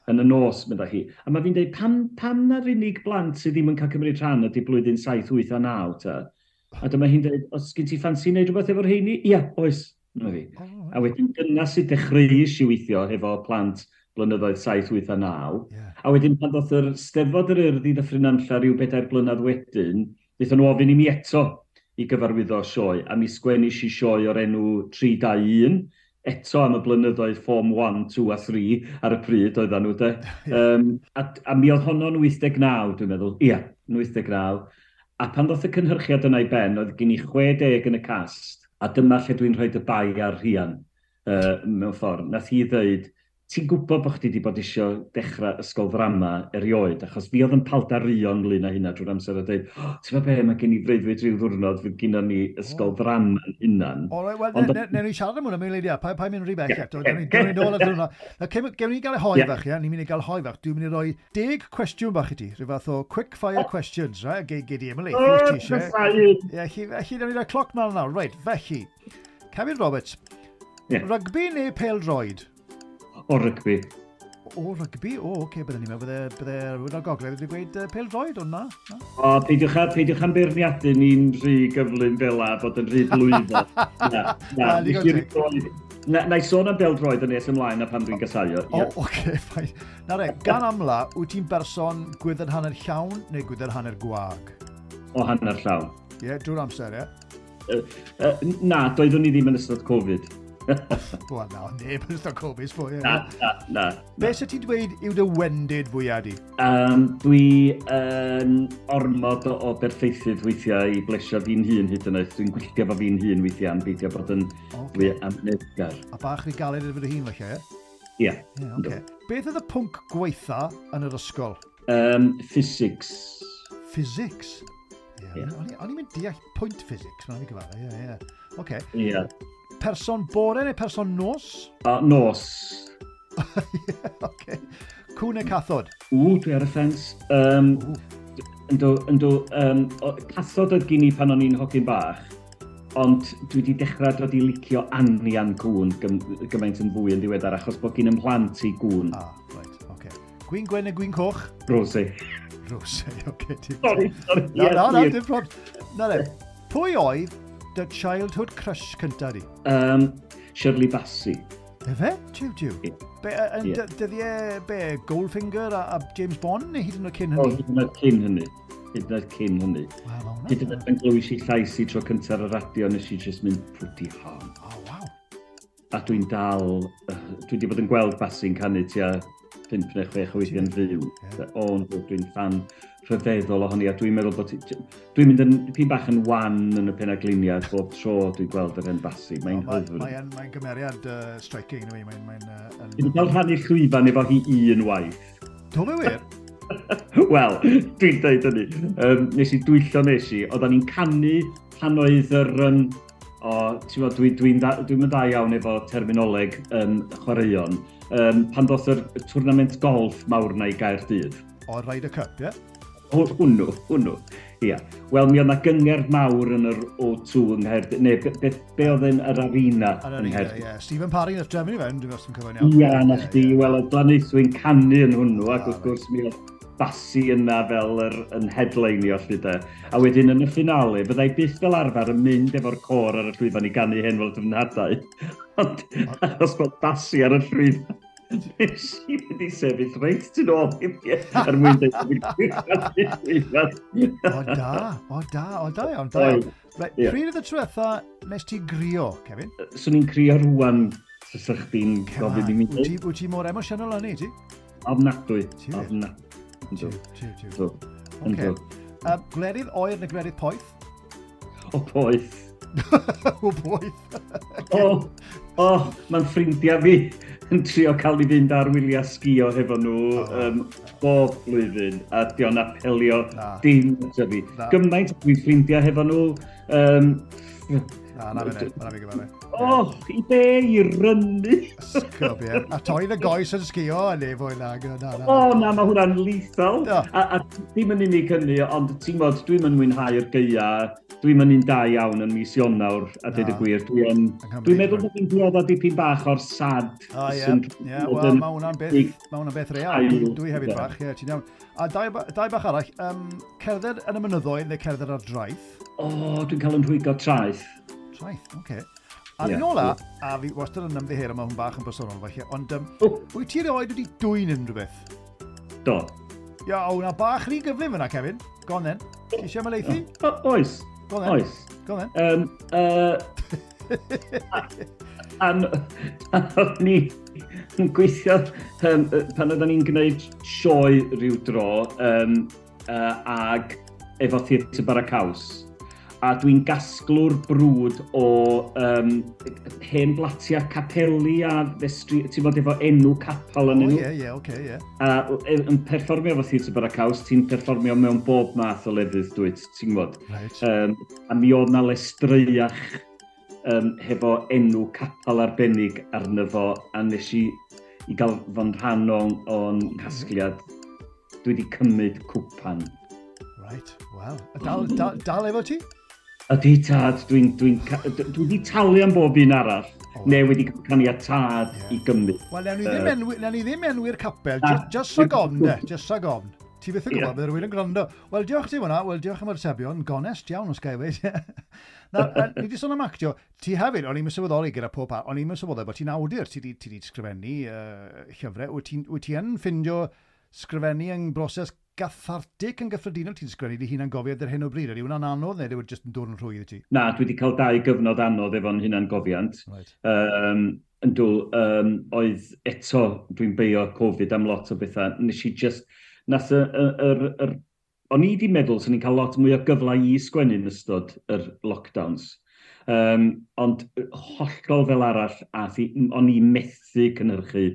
yn y nos, medda hi. A mae fi'n dweud, pam, pam na'r unig blant sydd ddim yn cael cymryd rhan ydy blwyddyn saith, wyth a naw ta?" A dyma hi'n dweud, "Os gen ti ffansi wneud rhywbeth efo'r rheini?" "Ia, oes." Dyma fi. Oh, right. A wedyn dyna sydd dechreuais i weithio hefo plant blynyddoedd saith, wyth a naw. Yeah. A wedyn pan ddoth yr Steddfod yr Urdd i Ddyffryn Nantlle rhyw bedair blynedd wedyn, wnaethon nhw ofyn i mi eto i gyfarwyddo sioe, a mi sgwennis i sioe o'r enw tri dau un, eto am y blynyddoedd Form un, dau a tri ar y pryd oedden nhw, de. Um, a, a mi oedd honno'n wyth deg naw, dwi'n meddwl. Ia, yn wyth deg naw. A pan ddoth y cynhyrchiad yna i ben, oedd gen i chwe deg yn y cast, a dyma lle dwi'n rhoi y bai ar Rhian, uh, mewn ffordd. Nath hi ddweud, "Ti'n gwybod bod chdi wedi bod eisiau dechrau ysgol ddrama erioed," achos fi oedd yn paldaruo ynglyn â hynna drwy'r amser a dweud, "Oh, ti'n gwybod be, mae gen i freuddwyd rhyw ddiwrnod fydd gynnon ni ysgol oh. ddrama yn hunan." O, right, wel, ne, ne, ni siarad am hwnna mewn eiliad, pa, pa mynd rhy bell eto, newn ni nôl at hwnna. Gewn ni gael y hoe yeah. fach, ia, ni'n mynd i gael hoe fach. Dwi'n mynd i roi deg cwestiwn bach i ti, rhyw fath o quick fire oh. questions, right? Gei, gei di Emily, oh, ti eisiau. Ie, felly, newn ni roi cloc mlaen nawr. Right, felly, Kevin Roberts, yeah. Rygbi neu pêl-droed? O, rygbi. O, rygbi? O, oce, okay, bydden ni'n meddwl, bydde, bydde rhywun o'r gogledd wedi gweud uh, pêl-droed, ond na, na. O, peidiwch, a, peidiwch am beirniadu ni'n rhy gyflym fel a bod yn rhy blwyddol. Na, na, na. Na, na i sôn am bêl-droed yn nes ymlaen a pan dwi'n gasau o. O, oce, okay, fine. Na re, gan amla, wyt ti'n berson gwydr hanner llawn neu gwydr hanner gwag? O, hanner llawn. Ie, yeah, drwy'r amser, ie? Uh, uh, na, doeddwn i ddim yn ystod Covid. Wel, na, neb yn ystod Covid, sbo, ie. Na, na, na. Be sy'n ti'n dweud yw dy wendid fwyaf di? Um, dwi yn ormod o, o berffeithydd weithiau i blesio fi'n hun hyd yn oed. Dwi'n gwylltio fo fi'n hun weithiau am beidio bod yn Okay. fwy amyneddgar. A bach rhy galed efo dy hun, felly, ie? Ie. Ie, oce. Beth oedd y pwnc gweitha yn yr ysgol? Um, physics. Physics? Ie, Ie. o'n i- o'n i'n mynd deall pwynt physics, mae'n i gyfadde, ie, ie. Oce. Ie. Person bore neu person nos? A nos. Ie, oce. Cŵn neu cathod? Ww, dwi ar y ffens. Um, Ww. yndw, yndw, um, o- cathod oedd gen i pan o'n i'n hogyn bach, ond dwi wedi dechrau dod i licio anian cŵn gym, gymaint yn fwy yn ddiweddar, achos bod gen 'y mhlant i gŵn. Ah, right, oce. Gwin gwyn neu gwin coch? Rosé. Rosé, oce. dim- Sorry, sorry. Na, ie, na, na, ie. dim problem. Na, ne. Pwy oedd dy childhood crush cynta di? Um, Shirley Bassey. Efe? Jiw, jiw. Ie. Be, yn Ie. yeah. dyddiau, be, Goldfinger a, a James Bond neu hyd yn oed cyn O, hynny? hyd yn oed cyn hynny. Hyd yn oed cyn hynny. Wel, ma' hwnna- Hyd yn oed pan glywis i llais i tro cyntaf ar y radio, nes i just mynd, "Pwdi hon." O, waw. A dwi'n dal, uh, dwi wedi bod yn gweld Bassey'n canu tua pump neu chwech o weithiau'n fyw. Ie. O, yndw, dwi'n fan rhyfeddol ohoni, a dwi'n meddwl bod... Dwi'n mynd yn dipyn bach yn wan yn y penagliniad bob tro dwi'n gweld yr hen Basi. Mae'n oh, hyfryd. Mae'n mae gymeriad uh, striking, yw e? Mae'n... Mae'n, uh, yn... Dwi'n cael rhannu llwyfan efo hi un waith. Do fe wir? Wel, dwi'n dweud hynny. Um, nes i dwyllo nes i. Oedden ni'n canu pan oedd yr... Um, o, ti'n gwbod, dwi'n dwi, dwi, dwi dda iawn efo terminoleg um, chwaraeon. Um, pan ddoth yr tournament golf mawr na i Gaerdydd. O, Ryder Cup, ie? Yeah? Hwnnw, hwnnw. Ia. Wel, mi oedd na gyngerdd mawr yn yr O two yng Nghaerdydd, neu be, be, be oedd yn yr arena yng Nghaerdydd. Ie, Stephen Parry nath drefnu fe, dwi'n meddwl cyfan iawn. Ia, na chdi, wel, oedd Glanaethwy'n canu yn hwnnw, ac wrth gwrs mi oedd Basi yna fel yr, yn headlineio lly de. A wedyn yn y finale, byddai byth fel arfer yn mynd efo'r côr ar y llwyfan i ganu Hen Wlad Fy Nhadau. Ond achos bod Basi ar y llwyfan, nes i mynd i sefyll reit tu nôl i fi er mwyn dweud bod fi'n llwyfan. O da, o da, o da iawn, da iawn. Right, yeah. Pryd oedd y tro diwetha nes ti grio, Kevin? Swn i'n crio rwan, fysa chdi'n gofyn i mi. Wyt ti, wyt ti mor emosiynol â ni, ti? Ofnadwy, ofnadwy. Tiw, tiw, tiw. Okay. Um, gwledydd oer neu gwledydd poeth? O, poeth. O, poeth. O, o, mae'n ffrindiau fi yn trio cael i fynd ar wyliau sgio hefo nhw oh. um, bob blwyddyn, a dio'n apelio na. Dim ato fi. Na. Gymaint dwi'n ffrindiau hefo nhw. Um, na, na fe, na fi gyda fe. O, i be, i rynnu. Sgwb, ie. A torri dy goes yn sgio, a neu fwy na. Na, na. O, na, mae hwnna'n lethal. A, a ddim yn unig hynny, ond ti'n gwybod, dwi'n yn mwynhau'r gaea, dwi'n yn un da iawn yn mis Ionawr, a dweud y gwir, dwi'n dwi meddwl bod fi'n dioddef dipyn bach o'r sad. O, ie, ie, wel, mae hwnna'n beth, mae hwnna'n beth real. Dwi, dwi hefyd bach, ie, ti'n iawn. A dau, dau bach arall, um, cerdded yn y mynyddoedd neu cerdded ar draeth? O, dwi'n cael yn rhwygo traeth. Traeth, oce. Okay. A yeah, un ola, a fi wastad yn ymddiheuro, mae hwn bach yn bersonol falle, ond um, oh. wyt ti erioed wedi dwyn unrhyw beth? Do. Ia, o, na bach rhy gyflym yna, Kevin. Go on then. Ti eisiau ymhelaethu? O, oes. Go on then. Oes. Go on then. Um, uh, an, an, ni yn gweithio, um, pan oedden ni'n gwneud sioe rhyw dro, um, uh, ag efo Theatr Bara Caws. A dwi'n gasglwr brwd o um, hen blatiau capeli a festri, ti'n bod efo enw capel yn nhw. Oh, ie, ie, oce, ie. A yn perfformio efo Theatr Bara Caws, ti'n perfformio mewn bob math o lefydd, dwyt, ti'n gwybod. Right. Um, a mi oedd na lestreiach um, hefo enw capel arbennig arno fo, a nes i, i gael fo'n rhan o'n, o'n casgliad, dwi wedi cymryd cwpan. Right, wel. Dal, dal, dal efo ti? Ydy tad, dwi'n dwi, dwi, dwi wedi talu am bob un arall, oh. Neu wedi cael caniatâd yeah. i gymryd. Wel, newn ni ddim, uh, enwi, newn ni ddim enwi'r capel, just, just rhag ofn, de, just rhag ofn. Ti byth yn gwybod, yeah. Bydd rhywun yn gwrando. Wel, diolch ti hwnna, wel, diolch am yr atebion, gonest iawn os ga i weud. Na, ni wedi sôn am actio, ti hefyd, o'n i'n sylweddoli gyda pob par, o'n i'n sylweddoli bod ti'n awdur, ti wedi sgrifennu uh, llyfrau, wyt ti'n ti yn ffindio sgrifennu yn broses gathartig yn gyffredinol, ti'n sgrifennu dy hunangofiant ar hyn o bryd? Ydy hwnna'n anodd neu ydy jyst yn dod yn rhwydd i ti? Na, dwi wedi cael dau gyfnod anodd efo'n hunangofiant. Right. Um, yndw, um, oedd eto, dwi'n beio Covid am lot o bethau. Nes i just, nath y, y, yr, yr, o'n i wedi meddwl swn i'n cael lot mwy o gyfle i sgwennu yn ystod yr lockdowns. Um, ond hollol fel arall, a thi, o'n i methu cynhyrchu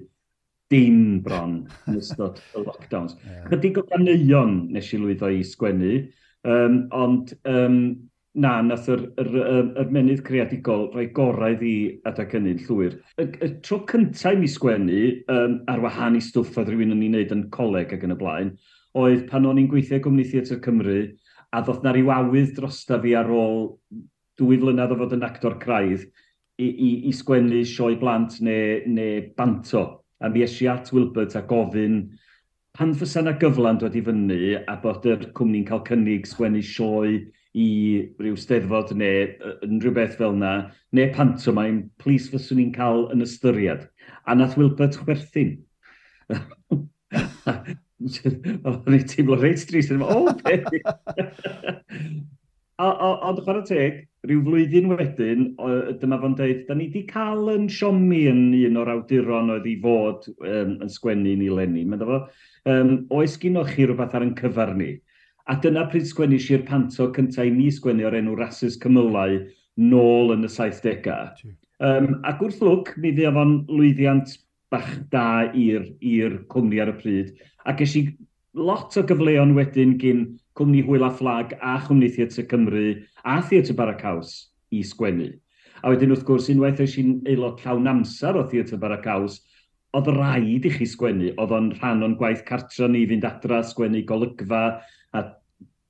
dim bron yn ystod y lockdowns. Yeah. Chydig o ganeuon nes i lwyddo i sgwennu, um, ond um, na, nath yr, yr, yr, yr menydd creadigol rhoi gorau iddi adeg hynny'n llwyr. Y, y tro cyntaf i mi sgwennu, um, ar wahân i stwff oedd rhywun yn ei wneud yn coleg ac yn y blaen, oedd pan o'n i'n gweithio Gwmni Theatr Cymru, a ddoth na ryw awydd drosta fi ar ôl dwy flynedd o fod yn actor craidd i, i, i sgwennu sioe blant neu, neu banto. A mi es i at Wilbert a gofyn pan fysa na gyfla'n dod i fyny a bod yr cwmni'n cael cynnig sgwennu sioe i ryw steddfod neu unrhyw beth fel na, neu pantomime, plis fyswn i'n cael yn ystyried. A nath Wilbert chwerthin. O'n i'n teimlo reit drist. O, beth! Ond chwarae teg, rhyw flwyddyn wedyn, dyma fo'n dweud, da ni wedi cael yn siomi yn un o'r awduron oedd i fod um, yn sgwennu ni leni. Mae'n fo, um, oes gynoch chi rhywbeth ar yn cyfar ni? A dyna pryd sgwennu i'r panto cyntaf i mi sgwennu o'r enw Rasys Cymylau nôl yn y saithdegau. Um, ac wrth lwc, mi fuodd fo'n lwyddiant bach da i'r cwmni ar y pryd. A ges i lot o gyfleon wedyn gyn cwmni Hwyl a Fflag a chwmni Theatr Cymru a Theatr Bara Caws i sgwennu. A wedyn wrth gwrs, unwaith oes i'n aelod llawn amser o Theatr Bara Caws, oedd rhaid i chi sgwennu. Oedd o'n rhan o'n gwaith cartra ni fynd adra, sgwennu golygfa, a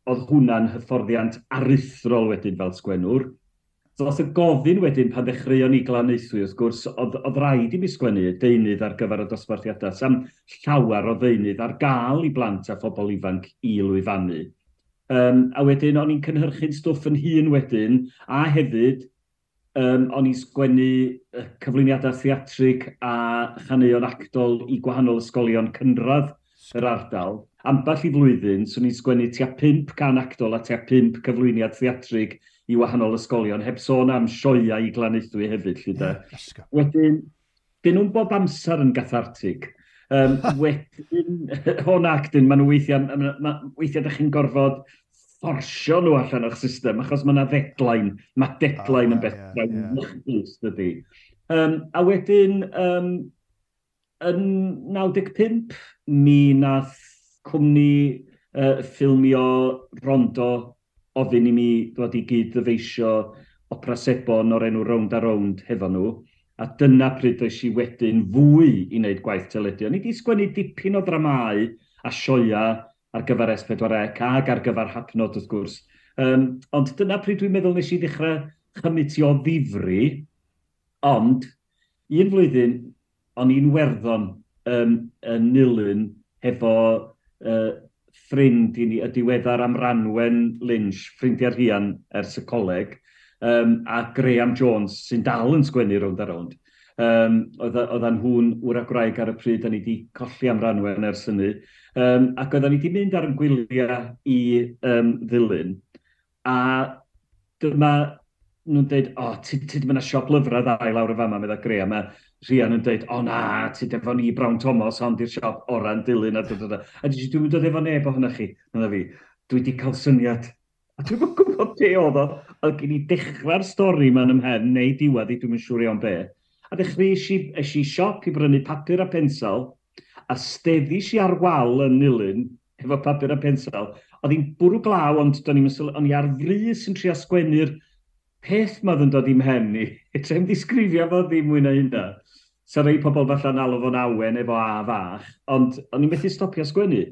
oedd hwnna'n hyfforddiant aruthrol wedyn fel sgwennwr. Ddoth y gofyn wedyn pan ddechreuon ni Glanaethwy, wrth gwrs, oedd, oedd rhaid i mi sgwennu deunydd ar gyfer y dosbarthiadau. Sam llawer o ddeunydd ar gael i blant a phobl ifanc i lwyfannu. Um, a wedyn o'n i'n cynhyrchu'n stwff yn hun wedyn, a hefyd um, o'n i'n sgwennu cyflwyniadau theatrig a chaneuon actol i gwahanol ysgolion cynradd yr ardal. Ambell i flwyddyn, swn i'n sgwennu tua pump can actol a tua pump cyflwyniad theatrig i wahanol ysgolion, heb sôn am sioeau i Glanaethwy hefyd. Lly de. Yeah, wedyn, dyn nhw'n bob amser yn gathartig. Um, wedyn, o'n actyn, maen nhw weithiau, ma, ma, weithiau ydych chi'n gorfod fforsio nhw allan o'ch system, achos mae yna deadline, mae deadline oh, yn beth yeah, yeah. dydy. Um, a wedyn, um, yn naw deg pump, mi nath cwmni uh, ffilmio Rondo ofyn i mi ddod i gyd ddyfeisio opera sebon o'r enw Rownd a Rownd hefo nhw. A dyna pryd oes i wedyn fwy i wneud gwaith teledu. O'n i wedi sgwennu dipyn o ddramau a sioia ar gyfer S pedwar C ac ar gyfer Hapnod wrth gwrs. Um, ond dyna pryd dwi'n meddwl nes i ddechrau chymitio ddifri, ond un flwyddyn o'n i'n Werddon um, yn Nulyn hefo uh, ffrind i ni, y diweddar am Ranwen Lynch, ffrindiau Rhian ers y coleg, um, a Graham Jones, sy'n dal yn sgwennu Rownd a Rownd. Um, Oedden nhw'n wr a gwraig ar y pryd, a ni wedi colli am Ranwen ers hynny. Um, ac oedden ni wedi mynd ar yn gwyliau i um, Ddulyn. A dyma nhw'n dweud, o, oh, ti, ti di mynd â siop lyfrau dda i lawr y fama, medda Graham. A Rhian yn dweud, o na, ti efo ni Brown Thomas, ond i'r siop ora'n Dulyn. A, dod, dod. A dwi, dwi'n dod efo neb ohonoch chi, medda fi. Dwi wedi cael syniad. A dwi'n gwybod be oedd o. Oedd gen i dechrau'r stori ma'n ymhen, neu diwedd i, dwi'n siŵr iawn be. A dechreuais i, es i siop i brynu papur a pensel, a steddis i ar wal yn Nulyn, efo papur a pensel. Oedd hi'n bwrw glaw, ond do'n i'm yn sylw, o'n i ar frys yn trio sgwennu'r peth ma oedd yn dod i'm mhen i. Trem ddisgrifio fo ddim mwy na hynna. Sa rei pobl falla'n alw fo'n awen efo A fach, ond o'n i'n methu stopio sgwennu.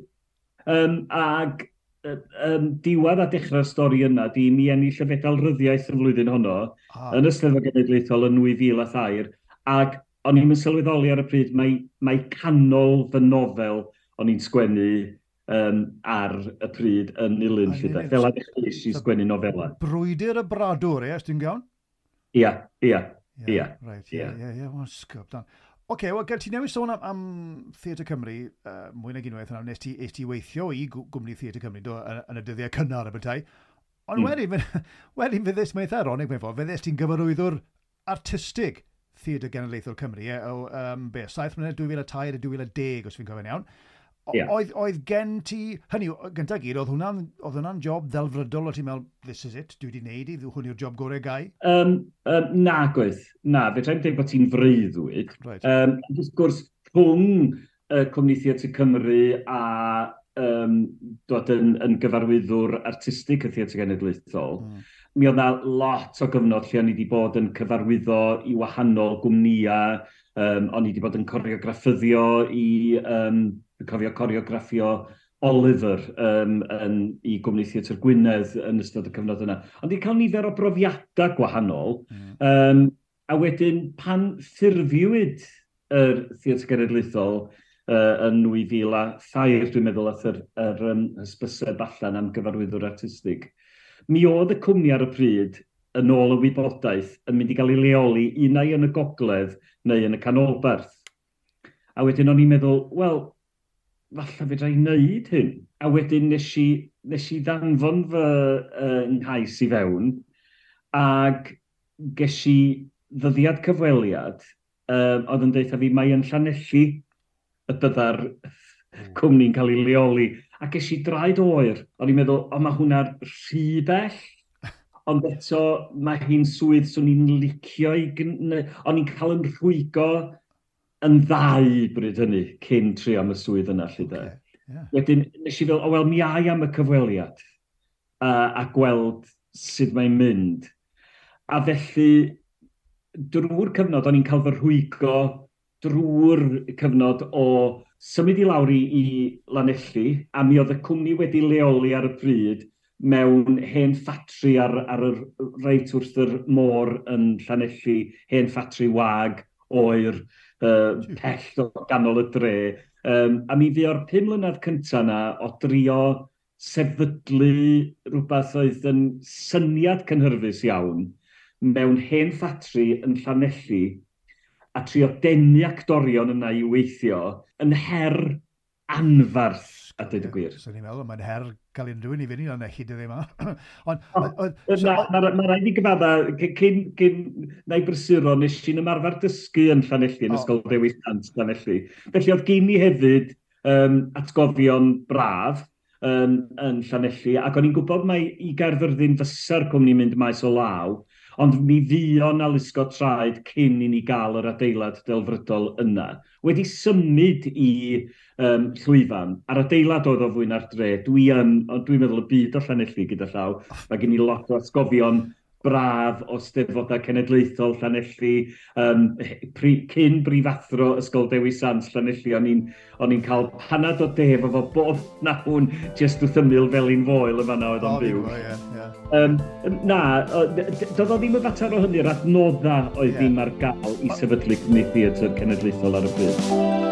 Um, ag um, diwedd a dechrau'r stori yna, di mi ennill y fedal ryddiaeth y flwyddyn honno, ah. yn y Steddfod Genedlaethol yn nwy fil a thair, ac o'n i'n sylweddoli ar y pryd, mae, mae canol fy nofel o'n i'n sgwennu um, ar y pryd yn Nulyn. Fel a dechreuais i sgwennu nofela. Brwydr y Bradwr, ie, os dwi'n iawn? Ia, ia, ia. Right, ie, ie, ie, sgwb, dan. Oce, wel, gael ti newid sôn am, am Theatr Cymru, uh, mwy nag unwaith yna, nes ti, es ti weithio i gwmni Theatr Cymru, do, yn, yn y dyddiau cynnar y bethau. Ond mm. wedyn, wedyn fe ddys, mae'n eitha ironic mewn ffordd, fe ddys ti'n gyfarwyddwr artistig Theatr Genedlaethol Cymru, ie, o, um, be, saith mlynedd, dwy fil a tair a dwy fil a deg, os fi'n cofio'n iawn. Yeah. Oedd, oedd gen ti, hynny, gyntaf gyd, oedd hwnna'n oedd hwnna'n job ddelfrydol, o ti'n meddwl, this is it, dwi wedi wneud i, hwn yw'r job gorau gai? Um, um, na, gwaith, na, fe tra'n dweud bod ti'n freuddwyd. Right. Um, wrth gwrs, rhwng uh, Cwmni Theatr Cymru a um, dod yn, yn gyfarwyddwr artistig y Theatr Genedlaethol, mm. mi oedd na lot o gyfnod lle o'n i wedi bod yn cyfarwyddo i wahanol gwmnïau, um, o'n i wedi bod yn coreograffyddio i... Um, cofio coreograffio Oliver um, yn, i gwmni Theatr Gwynedd yn ystod y cyfnod yna. Ond i cael nifer o brofiadau gwahanol. Mm. Um, a wedyn pan ffurfiwyd yr Theatr Genedlaethol uh, yn nwy fil a thair, dwi'n meddwl, ath yr, yr um, hysbyseb allan am gyfarwyddwr artistig. Mi oedd y cwmni ar y pryd, yn ôl y wybodaeth, yn mynd i gael ei leoli unai yn y gogledd neu yn y canolbarth. A wedyn o'n i'n meddwl, wel, falle fedra i wneud hyn. A wedyn nes i, nes i ddanfon fy uh, nghais i fewn, ac ges i ddyddiad cyfweliad, um, oedd yn deutha fi, mae yn Llanelli y bydda'r cwmni'n cael ei leoli. A ges i draed oer. O'n i'n meddwl, o, mae hwnna'n rhy bell. Ond eto, mae hi'n swydd swn i'n licio i... O'n i'n cael yn rhwygo yn ddau bryd hynny, cyn trio am y swydd yna, lly de. Okay, yeah. Wedyn, nes i fel, o wel, mi ai am y cyfweliad a, a gweld sut mae'n mynd. A felly, drwy'r cyfnod, o'n i'n cael fy rhwygo drwy'r cyfnod o symud i lawr i, i Lanelli, a mi oedd y cwmni wedi leoli ar y pryd mewn hen ffatri ar, ar y reit wrth yr môr yn Llanelli, hen ffatri wag, oer, uh, pell o ganol y dre. Um, a mi fi o'r pum mlynedd cyntaf yna o drio sefydlu rhywbeth oedd yn syniad cynhyrfus iawn mewn hen ffatri yn Llanelli a trio denu actorion yna i weithio yn her anfarth, a dweud y gwir. So ni'n meddwl, mae'n her cael unrhyw un i fynd i Lanelli dyddiau yma. Ond, Mae rhaid i gyfadda, cyn, cyn na i brysuro, nes i'n ymarfer dysgu yn Llanelli, yn Ysgol Dewi Sant Llanelli. Felly oedd gen i hefyd um, atgofion braf um, yn Llanelli, ac o'n i'n gwybod mai i Gaerfyrddin fysa'r cwmni mynd maes o law, ond mi fuon a lusgo traed cyn i ni gael yr adeilad delfrydol yna. Wedi symud i um, llwyfan, a'r adeilad oedd o fwy na'r dre, dwi yn, dwi'n meddwl y byd o Llanelli gyda llaw, mae gen i lot o atgofion braf o Steddfodau Cenedlaethol Llanelli, um, pri, cyn brifathro Ysgol Dewi Sant Llanelli, o'n i'n o'n i'n cael panad o de efo fo bob nawn jyst wrth ymyl felin foel yn fan'na oedd o'n byw. Ie, ie. Um, na, doedd o ddim y fater o hynny'r adnodda oedd yeah. ddim ar gael i sefydlu cwmni theatr cenedlaethol ar y pryd.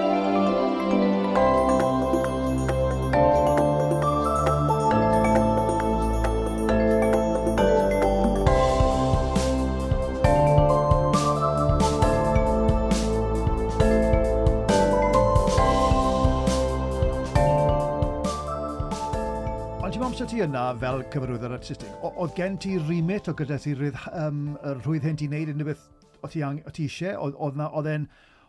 Yna fel cyfarwyddwr artistig, oedd gen ti remit o gyda ti rydd, um, y rhwydd hyn ti'n neud unrhyw beth o ti, o ti eisiau? Oedd e'n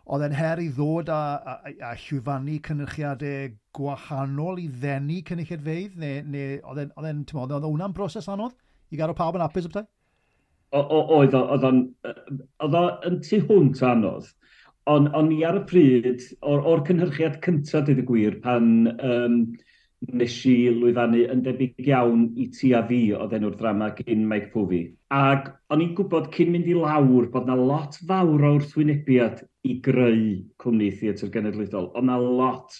oedd e'n her i ddod a, a, a llwyfannu cynyrchiadau gwahanol i ddenu cynulleidfeydd? Neu, neu oedd e'n, oedd e'n, oedd hwnna'n broses anodd i gadw pawb yn hapus o? Oedd oedd o'n, oedd o'n tu hwnt anodd. Ond on i ar y pryd, o'r, or cynhyrchiad cyntaf, dweud y gwir, pan um, nes i lwyfannu yn debyg iawn i Ti a Fi oedd enw'r drama gyn Mike Povey. Ac o'n i'n gwybod cyn mynd i lawr bod na lot fawr o wrthwynebiad i greu cwmni theatr genedlaethol. Oedd na lot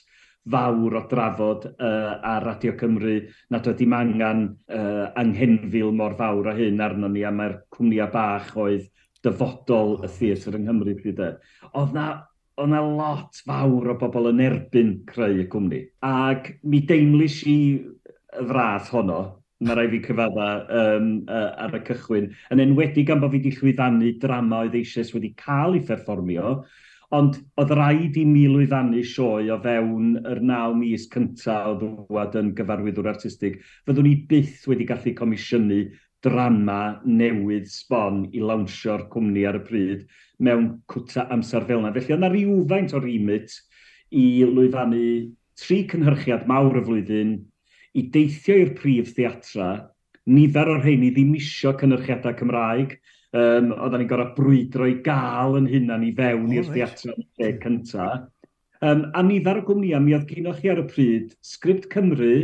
fawr o drafod uh, ar Radio Cymru nad oedd dim angen uh, anghenfil mor fawr a hyn arno ni, a mae'r cwmnïau bach oedd dyfodol y theatr yng Nghymru pryd e. Oedd na Oedd na lot fawr o bobl yn erbyn creu y cwmni. Ac mi deimlis i y frath honno, mae rhaid fi cyfadda um, uh, ar y cychwyn, yn enwedig am bod fi wedi llwyfannu drama oedd eisoes wedi cael ei pherfformio, ond oedd rhaid i mi lwyfannu sioe o fewn yr naw mis cyntaf o ddwad yn gyfarwyddwr artistig. Fyddwn i byth wedi gallu comisiynu drama newydd sbon i lawnsio'r cwmni ar y pryd mewn cwta amser fel yna. Felly oedd yna rhywfaint o remit i lwyfannu tri cynhyrchiad mawr y flwyddyn, i deithio i'r prif theatra, nifer o'r rheini ddim isio cynhyrchiadau Cymraeg, um, oedden ni'n gorfod brwydro i gael yn hunan i fewn oh, i'r right. theatra yn y lle cyntaf. Um, a nifer o gwmnïau, mi oedd gynoch chi ar y pryd Sgript Cymru,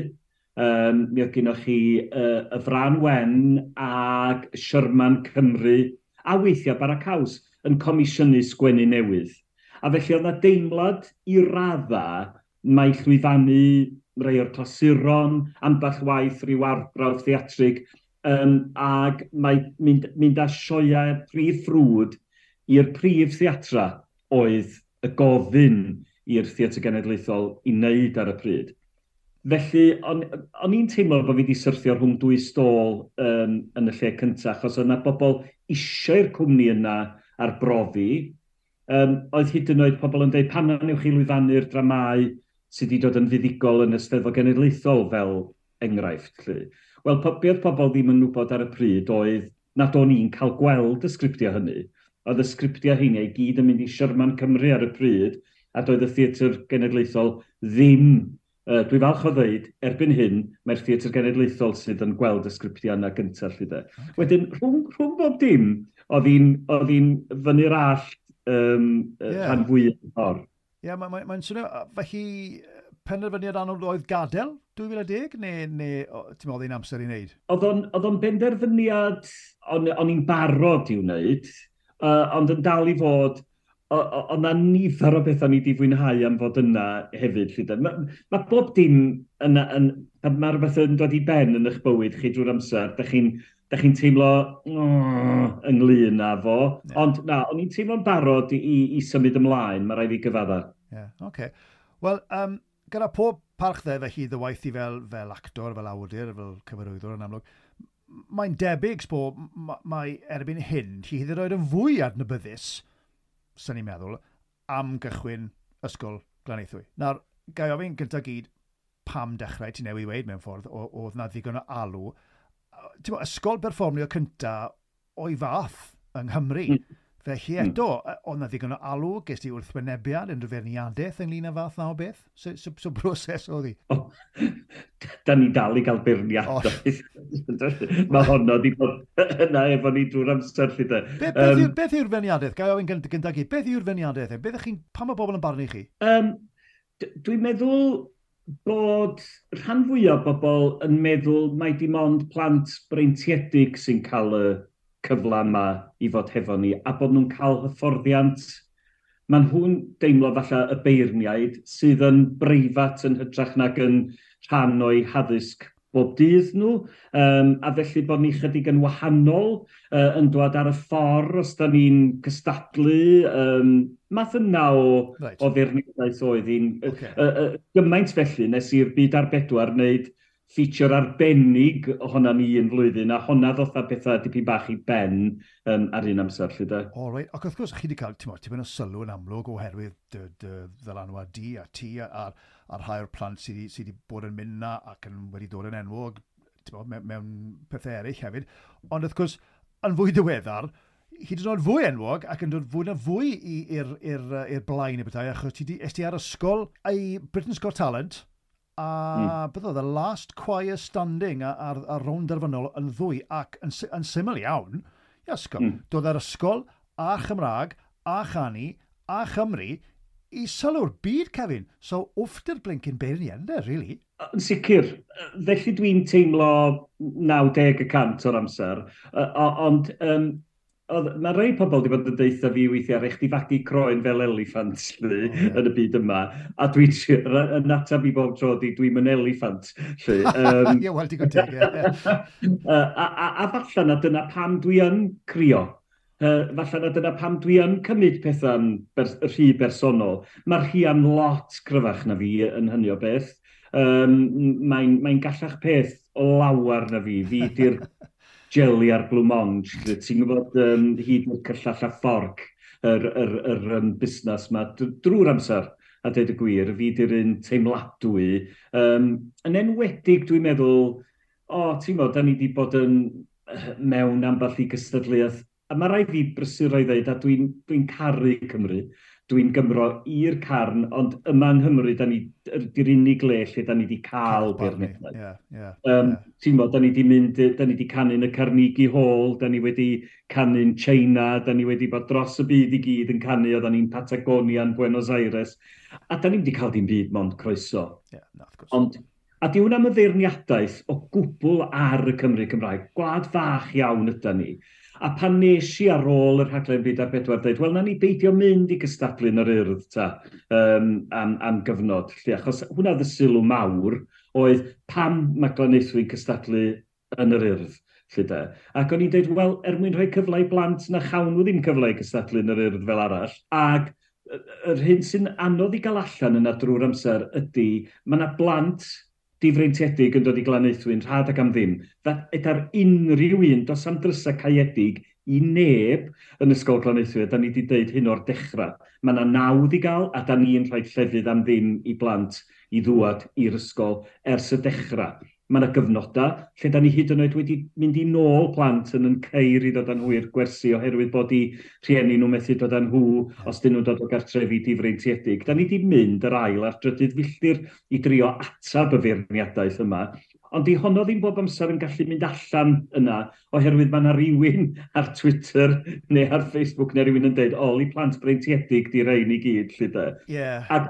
Um, mi oedd gynoch chi uh, y Fran Wen ac Sherman Cymru a weithiau Bara Caws yn comisiynu sgwennu newydd. A felly oedd na deimlad i radda mae llwyfannu rhai o'r clasuron, ambell waith rhyw arbrawf theatrig, um, ac mae mynd, mynd â sioeau prif ffrwd i'r prif theatra oedd y gofyn i'r Theatr Genedlaethol i wneud ar y pryd. Felly, o'n, o'n i'n teimlo bod fi wedi syrthio rhwng dwy stôl um, yn y lle cyntaf, achos oedd yna bobl eisiau'r cwmni yna arbrofi. Um, oedd hyd yn oed pobl yn dweud, pan wnewch chi lwyfannu'r dramau sydd wedi dod yn fuddugol yn y Steddfod Genedlaethol fel enghraifft. Lly. Wel, po, be oedd pobl ddim yn wybod ar y pryd oedd nad o'n i'n cael gweld y sgriptiau hynny. Oedd y sgriptiau hynny i gyd yn mynd i Sherman Cymru ar y pryd, a doedd y Theatr Genedlaethol ddim Uh, dwi falch o ddeud, erbyn hyn, mae'r Theatr Genedlaethol sydd yn gweld y sgriptiau yna gyntaf. Lly de. Okay. Wedyn, rhwng, rhwng bob dim, oedd hi'n fyny'r allt um, yeah. rhan fwy o'r ffordd. Ie, yeah, mae'n mae, mae swnio, felly penderfyniad anodd oedd gadael dwy fil a deg, neu, neu ti'n meddwl hi'n amser i wneud? Oedd o'n benderfyniad, o'n, o'n i'n barod i'w wneud, uh, ond yn dal i fod, oedd na nifer o bethau ni wedi fwynhau am fod yna hefyd. Mae ma bob dim yna, yn, pan mae rhywbeth yn dod i ben yn eich bywyd chi drwy'r amser, da chi'n da chi'n teimlo oh, ynglyn â fo. Yeah. Ond na, o'n i'n teimlo'n barod i, i, i symud ymlaen, mae rhaid fi gyfadda. Ie, yeah, okay. Wel, um, gyda pob parch dde felly dy waith i fel, fel actor, fel awdur, fel cyfarwyddwr yn amlwg, mae'n debyg, sbo, mae erbyn hyn, ti hyd yn oed yn fwy adnabyddus, sy'n ni'n meddwl, am gychwyn Ysgol Glanaethwy. Nawr, gai ofyn gyntaf gyd, pam dechrau, ti newydd weud mewn ffordd, oedd na ddigon o alw. Ti'n bod, ysgol berfformio cynta o'i fath yng Nghymru. Mm. Felly hmm. eto, mm. oedd na ddigon o alw, ges ti wrthwynebiad, unrhyw feirniadaeth ynglyn â fath na o beth? So, so, so broses oedd hi? Oh, da ni dal i gael beirniadaeth. Oh. Mae honno di bod yna efo ni drwy'r amser. Lly de. Be, beth, um, yw, beth yw'r feirniadaeth? Gai ofyn gyntaf gyd, beth yw'r feirniadaeth? Beth chi'n, pam mae bobl yn barnu chi? Um, dwi'n meddwl bod rhan fwyaf o bobl yn meddwl mai dim ond plant breintiedig sy'n cael y cyfle yma i fod hefo ni, a bod nhw'n cael hyfforddiant. Maen nhw'n deimlo falle y beirniaid sydd yn breifat yn hytrach nag yn rhan o'i haddysg bob dydd nhw, um, a felly bod ni chydig yn wahanol uh, yn dod ar y ffordd os da ni'n cystadlu. Um, math yna o, right. o feirniadaeth oedd hi'n. Okay. Uh, uh, gymaint felly nes i'r Byd ar Bedwar wneud feature arbennig ohona ni un flwyddyn, a honna ddoth â pethau dipyn bach i ben um, ar un amser, lly de. O, reit. Ac wrth gwrs, chi wedi cael, ti'n tipyn o sylw yn amlwg oherwydd dy, dy ddylanwad di a ti a, a, a rhai o'r plant sydd wedi, sy wedi bod yn mynd na ac yn wedi dod yn enwog ti'n mewn, mewn pethau eraill hefyd. Ond wrth gwrs, yn fwy diweddar, hyd yn oed fwy enwog ac yn dod fwy na fwy i'r i'r blaen y bethau, achos ti di, es ti ar ysgol i Britain's Got Talent, a mm. beth oedd, The Last Choir Standing ar, ar rownd derfynol yn ddwy, ac yn, yn syml iawn, i ysgol, mm. dod ar ysgol a Chymraeg, a chanu, a Chymru, i sylw'r byd, Kevin. So, wfft blincin beirniaid, ynddo, really? Yn sicr. Felly dwi'n teimlo naw deg y cant o'r amser. Ond um, oedd, mae rhai pobl wedi bod yn deutha fi weithiau, rhaid chdi fagu croen fel eliffant lly, oh, yeah. yn y byd yma. A dwi'n yn ateb i bob tro di, dwi'n yn eliffant. Ie, um, wel, digon teg, ie. a, a, a falle na dyna pam dwi yn crio. Uh, falle na dyna pam dwi yn cymryd pethau'n bers rhy bersonol. Mae'r Rhian lot cryfach na fi yn hynny o beth. Um, Mae'n mae gallach peth o lawer na fi. Fi di'r jelly a'r blancmange. Ti'n gwybod um, hyd o'r cyllall a fforc yr, yr, yr, um, busnes yma drwy'r amser, a dweud y gwir, fi di'r un teimladwy. Um, yn enwedig, dwi'n meddwl, o, oh, ti'n gwybod, da ni wedi bod yn mewn ambell i gystadleuaeth. A mae rhaid fi brysuro i ddweud, a dwi'n dwi caru Cymru, dwi'n Gymro i'r carn, ond yma yng Nghymru, da ni, di'r unig le lle da ni wedi cael beirniadaeth. Yeah, yeah, um, yeah. Ti'n bod, da ni wedi mynd, da ni wedi canu'n y Carnegie Hall, da ni wedi canu'n China, da ni wedi bod dros y byd i gyd yn canu, oedden ni'n Patagonia yn Buenos Aires, a da ni wedi cael dim byd mond croeso. Yeah, no, of course. Ond, a di hwnna am y feirniadaeth o gwbl ar y Cymru Cymraeg, gwlad fach iawn ydy ni. A pan nes i ar ôl y rhaglen Byd ar Bedwar dweud, wel, na ni beidio mynd i gystadlu yn yr Urdd ta, um, am, am gyfnod. Lle, achos hwnna oedd y sylw mawr, oedd pam mae Glanaethwy'n cystadlu yn yr Urdd. Lle de. Ac o'n i'n dweud, wel, er mwyn rhoi cyfle i blant na chawn nhw ddim cyfle i gystadlu yn yr Urdd fel arall. Ac yr hyn sy'n anodd i gael allan yna drwy'r amser ydy, mae yna blant difreintiedig yn dod i Glanaethwy'n rhad ac am ddim. Yda'r unrhyw un, dos am drysau caeedig i neb yn Ysgol Glanaethwy, da ni wedi dweud hyn o'r dechrau. Mae yna nawdd i gael, a da ni'n rhoi llefydd am ddim i blant i ddwad i'r ysgol ers y dechrau. Mae yna gyfnodau lle da ni hyd yn oed wedi mynd i nôl plant yn yn ceir i ddod â nhw i'r gwersi oherwydd bod i rhieni nhw methu dod â nhw os dyn nhw'n dod o gartrefi difreintiedig. Da ni wedi mynd yr ail a'r drydydd filltir i drio atab y feirniadaeth yma. Ond di honno ddim bob amser yn gallu mynd allan yna, oherwydd mae yna rywun ar Twitter neu ar Facebook neu rywun yn dweud, "O, li plant breintiedig di rein i gyd," lle de. Yeah. Ac,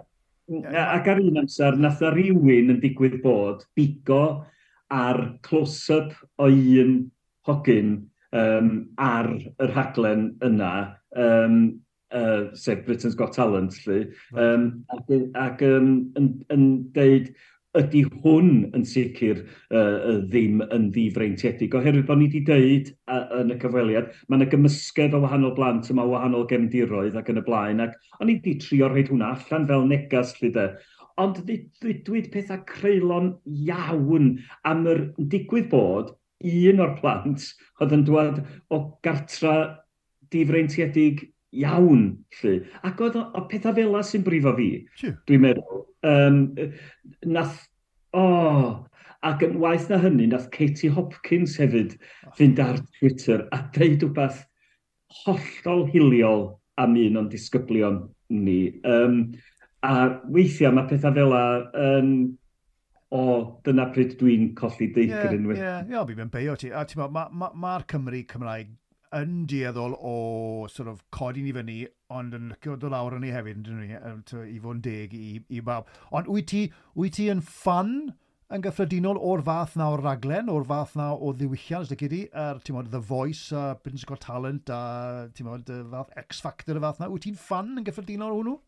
ac ar un amser, nath na rywun yn digwydd bod bigo ar close-up o un hogyn um, ar y rhaglen yna, um, uh, sef Britain's Got Talent, lle, um, ac, ac um, yn, yn deud, "Ydy hwn yn sicr uh, ddim yn ddifreintiedig," oherwydd bod ni wedi deud uh, yn y cyfweliad, mae yna gymysgedd o wahanol blant yma, o wahanol gefndiroedd ac yn y blaen, ac o'n i wedi trio rhoid hwnna allan fel negas, lle de. Ond ddudwyd pethau creulon iawn am yr digwydd bod un o'r plant oedd yn dwad o gartra difreintiedig iawn, lle. Ac oedd o, o pethau fel 'na sy'n brifo fi, dwi'n meddwl. Um, nath, o, oh, ac yn waeth na hynny, nath Katie Hopkins hefyd fynd ar Twitter a deud rhywbeth hollol hiliol am un o'n disgyblion ni. Um, a weithiau mae pethau fel 'na yn... O, dyna pryd dwi'n colli deigryn. Ie, ie, ie, fi'n mynd beio ti. A ti'n mae'r ma, ma, ma Cymru Cymraeg yn dueddol o sort of codi ni fyny, ond yn licio dod lawr yn ni hefyd, yn ni, i fod yn deg i, i bawb. Ond wyt ti, wyt ti yn ffan yn gyffredinol o'r fath na o'r raglen, o'r fath na o ddiwylliant, os di, er, ti'n modd, The Voice, a Britain's Got Talent, a ti'n modd, y fath X Factor y fath na. Wyt ti'n ffan yn gyffredinol o hwnnw?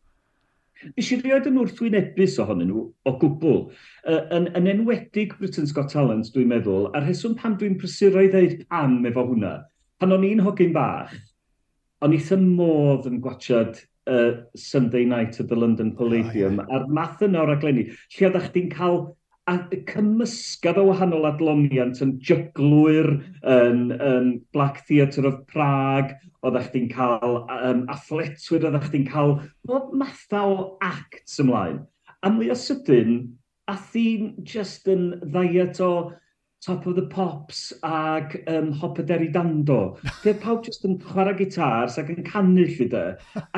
Nes i rioed yn wrthwynebus ohonyn nhw o gwbl. Uh, yn, yn enwedig Britain's Got Talent, dwi'n meddwl, a'r rheswm pam dwi'n prysuro i ddeud pam efo hwnna, pan o'n i'n hogyn bach, o'n i wrth modd yn gwachad uh, Sunday Night at the London Palladium, oh, yeah. a'r math yna o raglenni, lle oeddech chdi'n cael a cymysgedd o wahanol adloniant yn jyglwyr, yn, yn Black Theatre of Prague, oeddech chdi'n cael um, athletwyr, oeddech chdi'n cael bob matha o acts ymlaen. A mwy o sydyn, a thi'n just yn ddiet o Top of the Pops ag um, Hop a Derry Dando. Lle pawb just yn chwarae gitars ac yn canu lle de.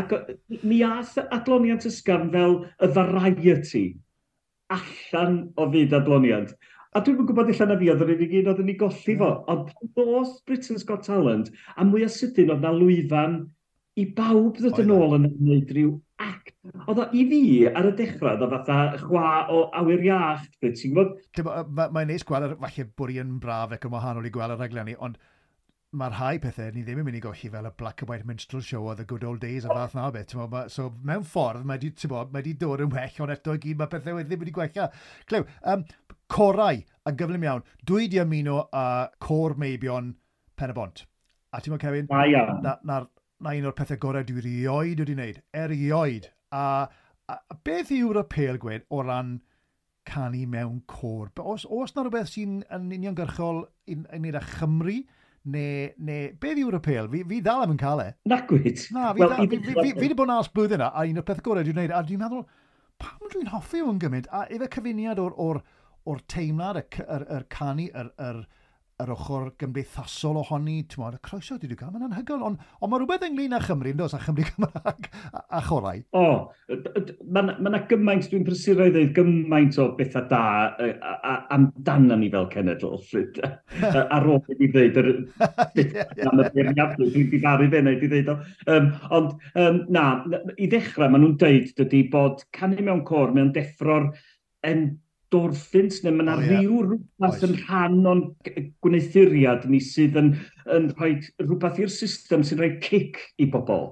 Ac mi ath adloniant ysgafn fel y variety allan o fyd adloniant. A dwi'n yn gwybod illa na fi oedd yr unig un oedd yn ei golli fo. Ond pan ddoth Britain's Got Talent, a mwy o sydyn oedd na lwyfan i bawb ddod yn ôl yn gwneud rhyw act. Oedd o i fi ar y dechrau, oedd o fatha chwa o awyr iach, ti'n gwybod? Mae'n neis gweld, falle bod i yn braf ac yn wahanol i gweld y rhaglenni, ond mae rhai pethau ni ddim yn mynd i golli fel y Black and White Minstrel Show o The Good Old Days a fath na beth. Ma, so mewn ffordd mae di, bo, mae di dod yn well, ond eto i gyd mae pethau wedi ddim wedi gwella. Clyw, um, corau yn gyflym iawn. Dwi di ymuno â Côr Meibion Pen y Bont. A ti'n bod, Kevin? Na iawn. Na, na, na un o'r pethau gorau dwi erioed wedi wneud. Erioed. A, a, a beth yw'r apêl gwed o ran canu mewn côr? Os, os na rhywbeth sy'n yn uniongyrchol yn, yn wneud â Chymru, neu, neu beth yw'r apêl? Fi, fi dal am yn cael e. Nagwyd. Na, fi, well, fi, fi, fi, fi wedi bod yn ars blwyddyn yna, a un o'r peth gorau dwi'n gwneud, a dwi'n meddwl, pam dwi'n hoffi hwn gymaint? A efe cyfuniad o'r, or, or teimlad, y, yr, yr canu, yr, yr, yr ochr gymdeithasol ohoni, ti'n modd, y croeso dwi wedi cael, mae'n anhygoel, ond on mae rhywbeth ynglyn â Chymru, yn does, a Chymru Cymraeg a, a chorau. O, mae yna gymaint, dwi'n prysuro i ddweud gymaint o bethau da amdano ni fel cenedl. Ar ôl i fi ddweud yr am y beirniadu, dwi'n difaru fe wneud i ddweud o. Um, ond um, na, i ddechrau, maen nhw'n dweud dydy bod canu mewn côr, mewn deffro'r endorphins, neu mae yna oh, yeah. rhyw rhywbeth yn rhan o'n gwneuthuriad ni sydd yn, yn rhoi rhywbeth i'r system sy'n rhoi cic i bobl.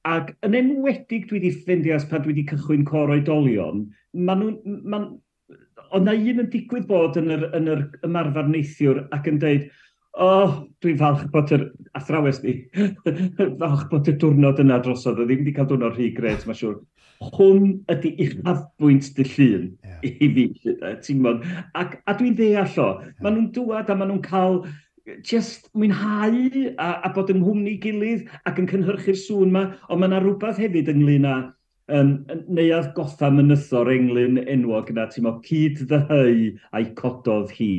Ac yn enwedig dwi wedi ffeindio ers pan dwi wedi cychwyn côr oedolion, ma nhw'n, ma, oedd na un yn digwydd bod yn yr, yn yr ymarfer neithiwr ac yn deud, "O, oh, dwi'n falch bod yr athrawes ni, falch bod y diwrnod yna drosodd, oedd ddim wedi cael diwrnod rhy gret, mae'n siŵr. Hwn ydy uchafbwynt dy llun yeah. i fi," ti'n gwybod. Ac, a dwi'n ddeall o, yeah. maen nhw'n dŵad a maen nhw'n cael just mwynhau a, a bod yng nghwmni gilydd ac yn cynhyrchu'r sŵn yma, ond mae yna rhywbeth hefyd ynglyn â Um, Neuadd Goffa Mynytho'r englyn enwog yna, ti'n mo, "Cyd ddyheu a'i cododd hi."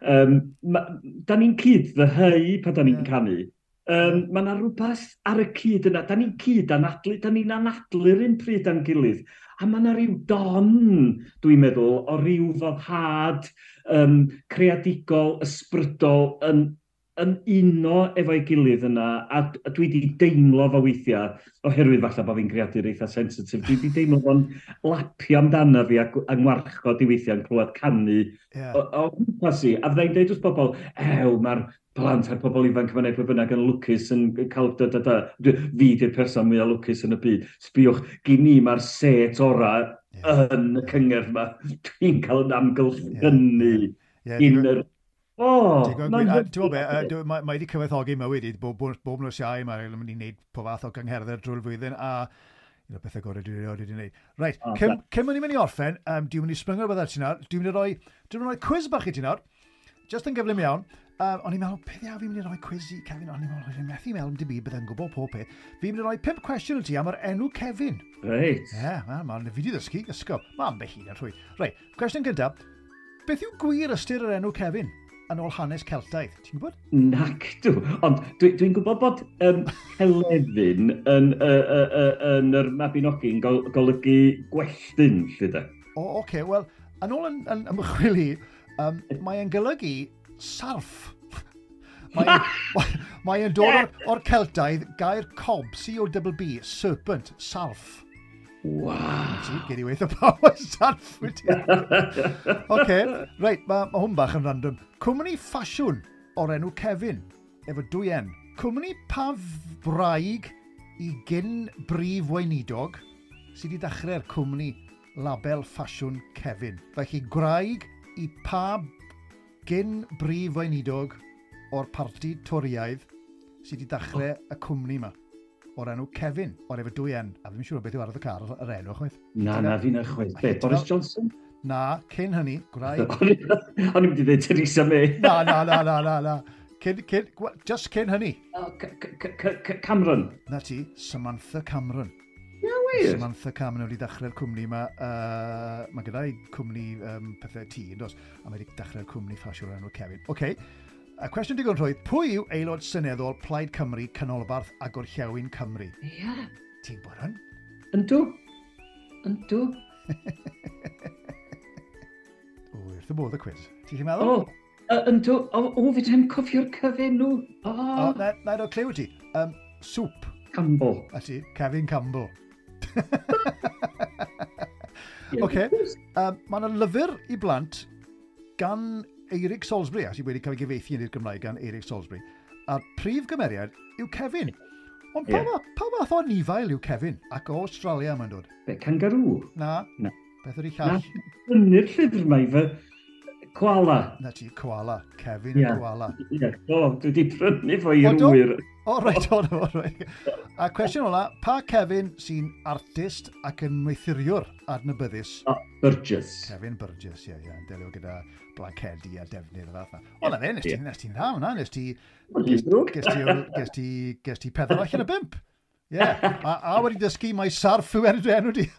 Um, ma, da ni'n cyd ddyheu pan da ni'n yeah. canu. Um, mae yna rhywbeth ar y cyd yna. Da ni'n cyd anadlu, da ni'n anadlu'r un pryd â'n gilydd. A mae yna rhyw don, dwi'n meddwl, o ryw foddhad um, creadigol, ysbrydol yn, yn uno efo'i gilydd yna, a, a dwi wedi deimlo fo weithiau, oherwydd falle bod fi'n greadur eitha sensitif, dwi wedi deimlo fo'n lapio amdano fi a, a ngwarchod i weithiau yn clywed canu yeah. o, o gwmpas i. A fyddai'n deud wrth bobl, "Ew, mae'r plant a'r pobl ifanc yma neu pwy bynnag yn lwcus yn cael da, da, da." Fi di'r person mwyaf lwcus yn y byd. Sbiwch, gyn i mae'r set orau yeah. yn y cyngerdd yma. Dwi'n cael yn amgylchynu yeah. Yeah. Yeah, yr O! Ti'n gwybod be, mae wedi cyfoethogi mywyd i, bob, bob, bob nos Iau mae'n mynd i wneud pob fath o gyngherddau drwy'r flwyddyn, a un o'r pethau gorau dwi erioed wedi gwneud. Reit, oh, cyn, cyn mynd i mynd i orffen, um, dwi'n mynd i sbringo rhywbeth ar ti nawr, dwi'n mynd i roi, dwi'n mynd i roi quiz bach i ti nawr, just yn gyflym iawn. Um, o'n i'n meddwl, beth iawn fi'n mynd i roi quiz i Kevin? O'n i'n meddwl, fi'n methu meddwl am dim byd, byddai'n gwybod pob peth. Fi'n mynd i roi pump cwestiwn i ti am yr enw Kevin. Reit. Ie, yeah, ma, ma, fi di ddysgu, ysgol. Mae ambell un yn rhwydd. Reit, cwestiwn gyntaf. Beth yw gwir ystyr yr enw Kevin yn ôl hanes Celtaidd? Ti'n gwybod? Nac dw. Ond dwi'n dwi gwybod bod um, Helefin yn, uh, uh, uh, yn yr Mabinogi'n gol, golygu gwelltyn, lle de. O, oce. Okay. Wel, yn ôl yn, yn ymchwil i, um, mae'n golygu sarff. Mae'n mae dod o'r, or Celtaidd gair cob, C O B B, serpent, sarff. Waw. Ti, gyd i weithio pawb sarff wedi. Oce, reit, mae ma hwn bach yn random. Cwmni ffasiwn o'r enw Kevin, efo dwy N. Cwmni pa wraig i gyn brif weinidog sydd wedi dechrau'r cwmni label ffasiwn Kevin? Felly gwraig i pa gyn brif weinidog o'r parti Toriaidd sydd wedi dechrau y cwmni yma o'r enw Kevin, o'r efo dwy N. A fi'n siŵr beth yw ar y car yr enw, chwaith. Na, na, fi'n chwaith. Be, Boris Johnson? Na, cyn hynny, gwraig. O'n i'n mynd i ddweud Theresa May. Na, na, na, na, na, na. Cyn, cyn, just cyn hynny. Cameron. Na ti, Samantha Cameron. Ia, wir? Samantha Cameron wedi dechrau'r cwmni yma. Uh, mae gyda'i cwmni um, pethau tŷ, yn dos? A mae wedi dechrau'r cwmni ffasiwn o'r enw Kevin. Oce, okay. A cwestiwn digon rhwydd, pwy yw aelod seneddol Plaid Cymru, Canolbarth a Gorllewin Cymru? Ie. Yeah. Ti'n gwybod hwn? Yndw. Yndw. O, wrth y bodd y quiz. Ti'n chi'n meddwl? O, uh, yndw. O, o, fi ddim cofio'r cyfenw. O, o na, na i roi cliw ti. Um, soup. Campbell. A ti, Kevin Campbell. Oce, um, mae yna lyfr i blant gan Eirig Salisbury, a sydd wedi cael ei gyfieithu yn i'r Gymraeg gan Eirig Salisbury. A'r prif gymeriad yw Kevin. Ond pa, yeah. pa fath o anifail yw Kevin? Ac o Australia mae'n dod. Be, kangaroo? Na. Na. Beth ydy llall? Na, brynu'r llyfr mae fy koala. Na ti, koala. Kevin yeah. y koala. Ie, yeah. O, dwi wedi prynu fo i'r wyr. O, reit, o, o, reit. A cwestiwn ola, pa Kevin sy'n artist ac yn wneuthuriwr adnabyddus? O, Burgess. Kevin Burgess, ie, ie, yn delio gyda blancedi a defnydd o fath na. O, na fe, nes ti'n nes ti'n dda hwnna, nes ti... Ges ti, ges ti pedwar allan o bump. Ie, yeah. a, a wedi dysgu mae sarff yw enw enw di.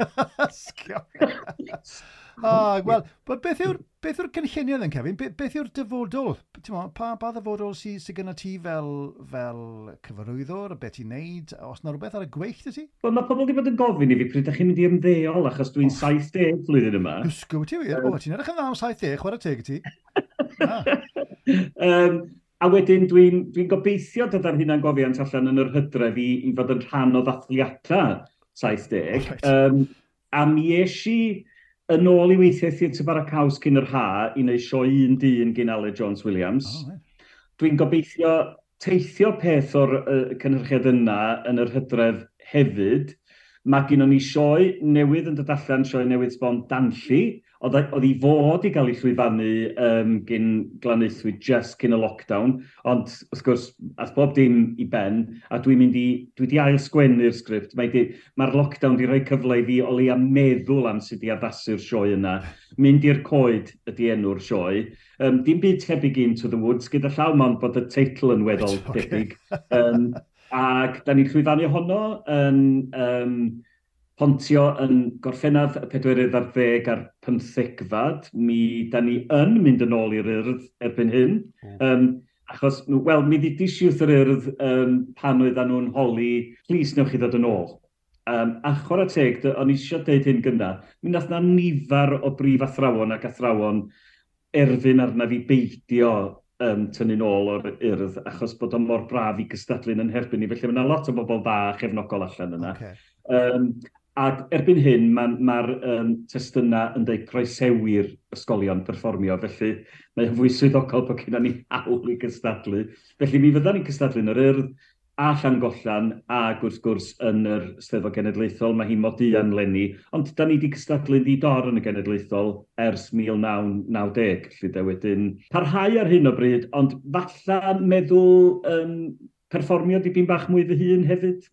Ah, wel, beth yw'r beth yw'r cynlluniau then, Kevin? Be, beth yw'r dyfodol? Mo, pa, pa ddyfodol sydd sy gyda ti fel, fel cyfarwyddwr, beth ti'n neud? Os na rhywbeth ar y gweill dy ti? Wel, mae pobl wedi bod yn gofyn i fi pryd ydych chi'n mynd i ymddeol, achos dwi'n oh. saith deg flwyddyn yma. Ysgw ti wir? O, ti'n edrych yn dda am saith deg, chwarae teg i ti. um, a wedyn dwi'n dwi gobeithio dod ar hunangofiant allan yn yr hydref i, i fod yn rhan o ddathliadau saith deg. Oh, right. um, a mi es i yn ôl i weithio Theatr Bara Caws cyn yr ha i wneud sioe un dyn gyn Aled Jones Williams. Oh, right. Dwi'n gobeithio teithio peth o'r uh, cynhyrchiad yna yn yr hydref hefyd. Mae gen ni sioe newydd yn dod allan, sioe newydd sbon Danlli, oedd, oedd i fod i gael ei llwyfannu um, gyn Glanaethwy just cyn y lockdown, ond wrth gwrs, ath bob dim i ben, a dwi'n mynd i, dwi wedi ail sgwennu'r sgript. Mae'r mae lockdown di rhoi cyfle i fi o leia meddwl am sut i addasu'r sioe yna. Mynd i'r Coed ydy enw'r sioe. Um, dim byd tebyg Into the Woods gyda llaw, mond bod y teitl yn weddol okay. debyg. Um, ac da ni'n llwyfannu honno yn um, Pontio yn Gorffennaf y pedwerydd ar ddeg a'r pymthegfad. Mi da ni yn mynd yn ôl i'r Urdd erbyn hyn. Um, achos, wel, mi ddudis i wrth yr Urdd um, pan oedden nhw'n holi, "Plis, newch chi ddod yn ôl?" Um, a chwarae teg, o'n i eisiau deud hyn gynna, mi nath na nifer o brif athrawon ac athrawon erfyn arna fi beidio um, tynnu'n ôl o'r Urdd, achos bod o mor braf i gystadlu yn herbyn ni. Felly mae yna lot o bobl dda a chefnogol allan yna. Okay. Um, ac erbyn hyn, mae'r ma, um, testunau yn dweud croesewi'r ysgolion perfformio, felly mae'n fwy swyddogol bod gennym ni hawl i gystadlu. Felly mi fyddan ni'n cystadlu yn yr Urdd a Llangollen ac wrth gwrs yn yr Steddfod Genedlaethol. Mae hi Moduan leni, ond da ni wedi cystadlu'n ddi-dor yn y Genedlaethol ers mil naw naw deg, felly de wedyn parhau ar hyn o bryd, ond falla meddwl um, perfformio dipyn bach mwy fy hun hefyd.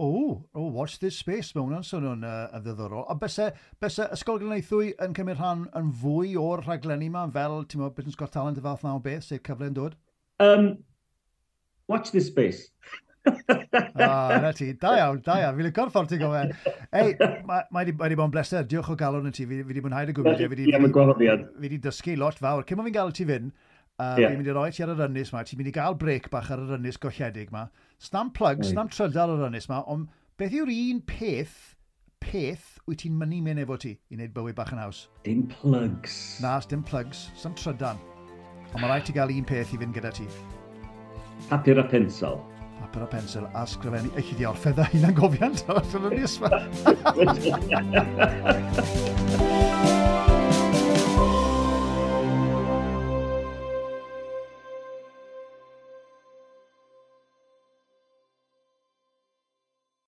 O, oh, watch this space, mae hwnna'n swnio'n uh, yn ddiddorol. A byse, byse Ysgol Glanaethwy yn cymryd rhan yn fwy o'r rhaglenni yma, fel, ti'n meddwl, Britain's Got Talent y fath na o beth, sef cyfle yn dod? Um, watch this space. Ah, na ti. Da iawn, da iawn. Fi'n licio'r ffordd ti'n gofyn. Ei, mae ma wedi ma bod yn bleser. Diolch o galon i ti. Fi, fi wedi mwynhau dy gwmni. Fi wedi, fi wedi dysgu lot fawr. Cyn bod fi'n gael ti fynd, uh, yeah. fi'n mynd i roi ti ar yr ynys ma. Ti'n mynd i gael break bach ar yr ynys golledig ma. Snam plug, snam trydar ar yr ynys ma, ond beth yw'r un peth, peth wyt ti'n mynnu mynd efo ti i wneud bywyd bach yn haws? Dim plugs. Na, dim plugs, sim trydan. Ond mae rhaid ti gael un peth i fynd gyda ti. Papur a pensel. Papur a pensel a sgrifennu. Eich i di orffedd a hunan gofiant o'r ynys ma.